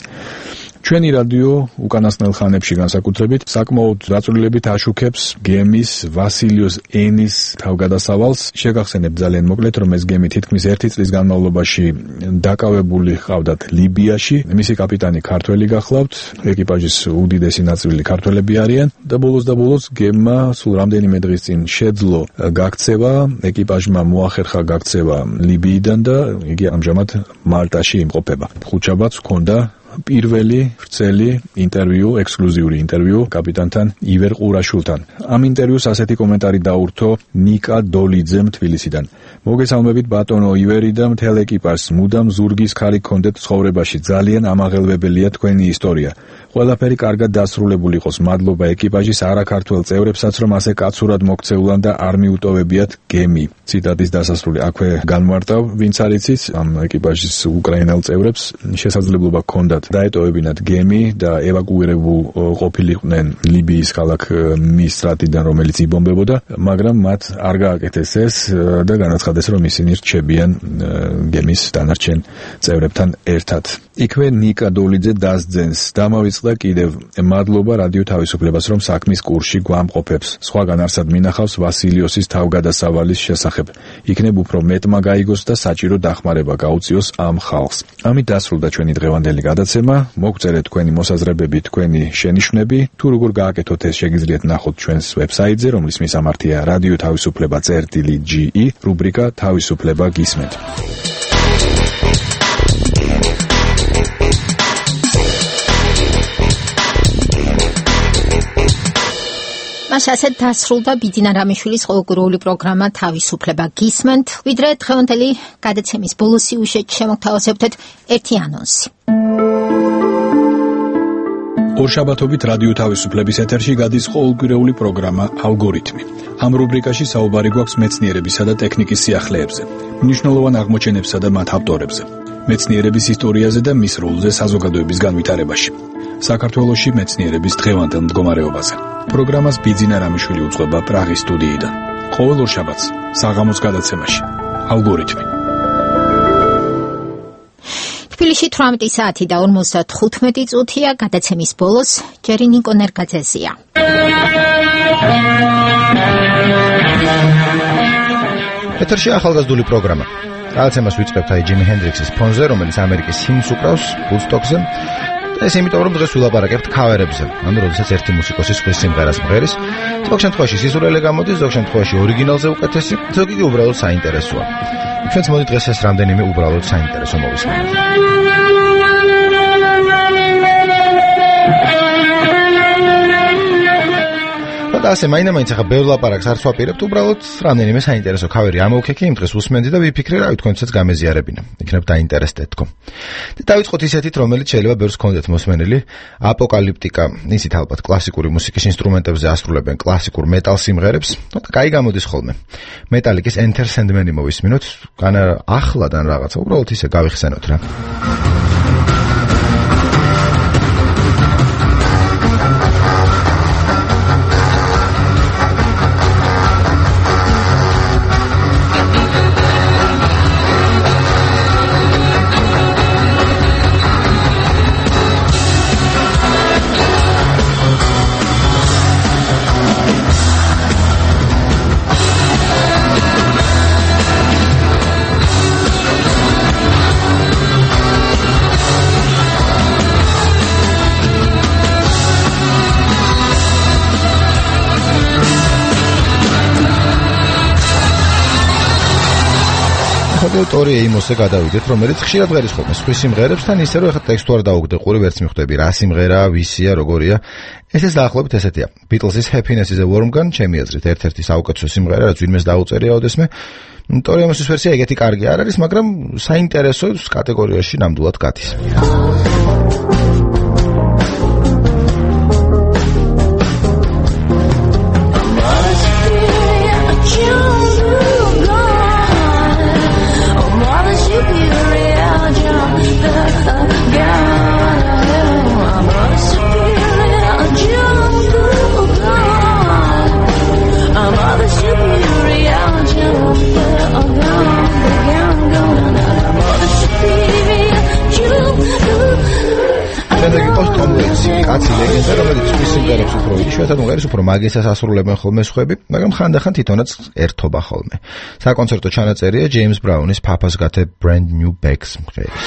ჩვენი რადიო უკანასკნელ ხანებში განსაკუთრებით საკმაოდ დაწვრილებით აშუქებს გემის ვასილიოს ენის თავგადასავალს. შეგახსენებ ძალიან მოკლედ, რომ ეს გემი თითქმის 1 წლის განმავლობაში დაკავებული ჰყავდათ ლიბიაში. მისი კაპიტანი ქართველი გახლავთ, ეკიპაჟის უდიდესი ნაწილი ქართველები არიან და ბოლოს გემმა სულ რამდენიმე დღის წინ შეძლო გაქცევა, ეკიპაჟმა მოახერხა გაქცევა ლიბიიდან და იგი ამჟამად მალტაში იმყოფება. ხუთშაბათს ჰქონდა პირველი ვრცელი ინტერვიუ, ექსკლუზიური ინტერვიუ კაპიტანთან ივერ ყურაშვილთან. ამ ინტერვიუს ასეთი კომენტარი დაურთო ნიკა დოლიძემ თბილისიდან. მოგესალმებით ბატონო ივერი და მთელ ეკიპაჟს. მუდამ ზურგის ქარი გქონდეთ ცხოვრებაში. ძალიან ამაღელვებელია თქვენი ისტორია. ყველაფერი კარგად დასრულებული იყოს. მადლობა ეკიპაჟის არაქართველ წევრებსაც, რომ ასე კაცურად მოქცეულან და არ მიუტოვებიათ გემი. ციტატის დასასრული. აქვე განმარტავ, ვინც არ იცის, ამ ეკიპაჟის უკრაინელ წევრებს შესაძლებლობა ჰქონდათ დაეტოვებინათ გემი და ევაკუირებულ ყოფილიყვნენ ლიბიის ქალაქ მისტრატიდან, რომელიც იბომბებოდა, მაგრამ მათ არ გააკეთეს ეს და განაცხადეს, რომ ისინი რჩებიან გემის დანარჩენ წევრებთან ერთად. იქვე ნიკა დოლიძე დასძენს. დამავიწყდა კიდევ მადლობა რადიო თავისუფლებას, რომ საქმის კურსში გვამყოფებს. სხვაგან არსად მინახავს ვასილიოსის თავგადასავალის შესახებ. იქნებ უფრო მეტმა გაიგოს და საჭირო დახმარება გაუწიოს ამ ხალხს. ამით დასრულდა ჩვენი დღევანდელი გადაცემა. მოგწერეთ თქვენი მოსაზრებები, თქვენი შენიშვნები, თუ როგორ გააკეთოთ ეს შეგიძლიათ ნახოთ ჩვენს ვებსაიტზე, რომლის მისამართია რადიო თავისუფლება.ge, რუბრიკა თავისუფლება გისმენთ. ასეთ დასრულდა ბიძინა რამიშვილის ყოველკვირეული პროგრამა თავისუფლება გისმენთ. ვიდრე დღევანდელი გადაცემის ბოლოს სიუჟეტში შემოგთავაზებთ ერთი ანონსი. ორშაბათობით რადიო თავისუფლების ეთერში გადის ყოველკვირეული პროგრამა ალგორითმი. ამ რუბრიკაში საუბარი გვაქვს მეცნიერებისა და ტექნიკის სიახლეებზე, მნიშვნელოვან აღმოჩენებსა და მათ ავტორებზე, მეცნიერების ისტორიაზე და მის როლზე საზოგადოების განვითარებაში, საქართველოში მეცნიერების დღევანდელ მდგომარეობაზე. პროგრამას ბიძინა რამიშვილი უძღვება პრაღის სტუდიიდან. ყოველ ორშაბათს საღამოს გადაცემაში ალგორითმი. თბილისში 18 საათი და 55 წუთია. გადაცემის ბოლოს ჯერი ნიკო ნერგაძეზია. ეთერში ახალგაზრდული პროგრამა. გადაცემას ვიწყებთ ჯიმი ჰენდრიქსის ფონზე, რომელიც ამერიკის ჰიმნს უკრავს ვუდსტოკზე. ეს იმიტომ რომ დღეს ვილაპარაკებთ ქავერებზე, ანუ როდესაც ერთი მუსიკოსი სხვის სიმღერას მღერის, ზოგ შემთხვევაში სიზურელე გამოდის, ზოგ შემთხვევაში ორიგინალზე უკეთესი, ზოგი კი უბრალოდ საინტერესოა. ჩვენც მოდი დღეს ეს რამდენიმე უბრალოდ საინტერესო მოვისმინოთ. და ასე მაინც ახლა ბევრ ლაპარაკს არც ვაპირებთ, უბრალოდ რამდენიმე საინტერესო ქავერი ამოვქექი იმ დღეს უსმენდი და ვიფიქრე, რავი, თქვენცაც გამეზიარებინა. იქნებ დაინტერესდეთ თქო. და დავიწყოთ ისეთით, რომელიც შეიძლება ბევრს გქონდეთ მოსმენილი, აპოკალიფტიკა, ისიც ალბათ კლასიკური მუსიკის ინსტრუმენტებზე ასრულებენ კლასიკურ მეტალ სიმღერებს, და კაი გამოდის ხოლმე. მეტალიკის Enter Sandman-ი მოვისმინოთ, განა ახლადან რაღაცა, უბრალოდ ისე გავიხსენოთ რა. ტორი ეიმოსზე გადავიდეთ, რომელიც ხშირად ღერის ხოლმე სხვის სიმღერებს თან ისე რომ ეხლა ტექსტი არ დაუგდე ყური ვერც მიხვდები რა სიმღერა, ვისია, როგორია. ესეც დაახლოებით ესეთია. Beatles-ის Happiness is a Warm Gun, ჩემი აზრით, ერთ-ერთი საუკეთესო სიმღერა, რაც ვინმეს დაუწერია ოდესმე. ტორი ეიმოსის ვერსია ეგეთი კარგი არ არის, მაგრამ საინტერესო კატეგორიაში ნამდვილად გადის. კაცი ლეგენდა, რომელიც სხვის სიმღერებს უფრო იშვიათად მღერის, უფრო მაგისას ასრულებენ ხოლმე სხვები, მაგრამ ხანდახან თვითონაც ერთობა ხოლმე. საკონცერტო ჩანაწერია ჯეიმს ბრაუნის Papa's Got a Brand New Bags მღერის.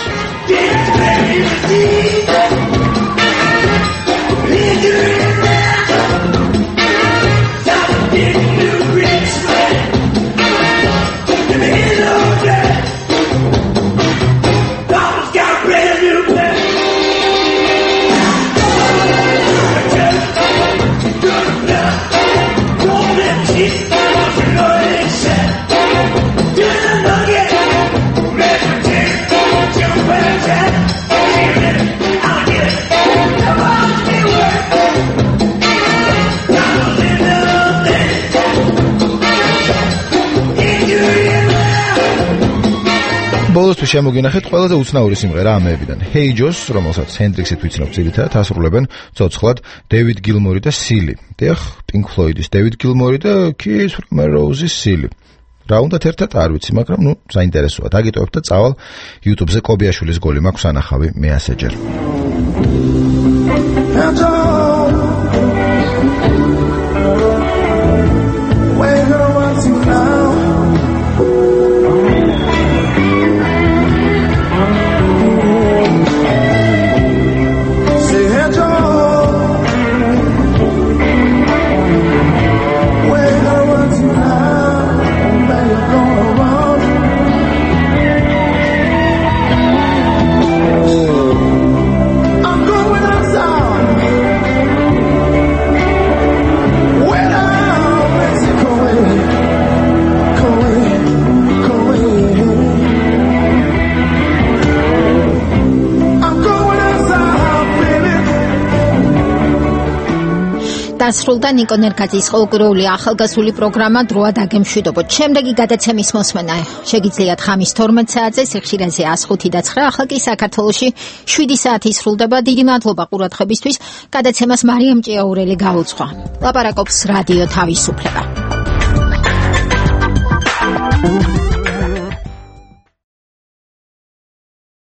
ბოლოს თუ შემოგინახეთ ყველაზე უცნაური სიმღერა ამეებიდან. Hey Joe, რომელსაც ჰენდრიქსით ვიცნობ ძირითადად ასრულებენ ცოცხლად დევიდ გილმორი და სილი. დიახ, Pink Floyd-ის დევიდ გილმორი და Keith Rose-ის სილი. რა უნდათ ერთად არ ვიცი, მაგრამ საინტერესოა. დაგიტოვებ და წავალ YouTube-ზე კობიაშვილის გოლი მაქვს ანახავი მე ასეჯერ. დასრულდა ნიკო ნერგაძის ყოველკვირეული ახალგაზრდული პროგრამა დროა დაგემშვიდობოთ. შემდეგი გადაცემის მოსმენა შეგიძლიათ ხამის 12 საათზე სიხშირეზე 105 და 9, ახლა კი საქართველოში 7 საათი სრულდება. დიდი მადლობა ყურადღებისთვის. გადაცემას მარიამ ჭიაურელი გაუძღვა. ლაპარაკობს რადიო თავისუფლება.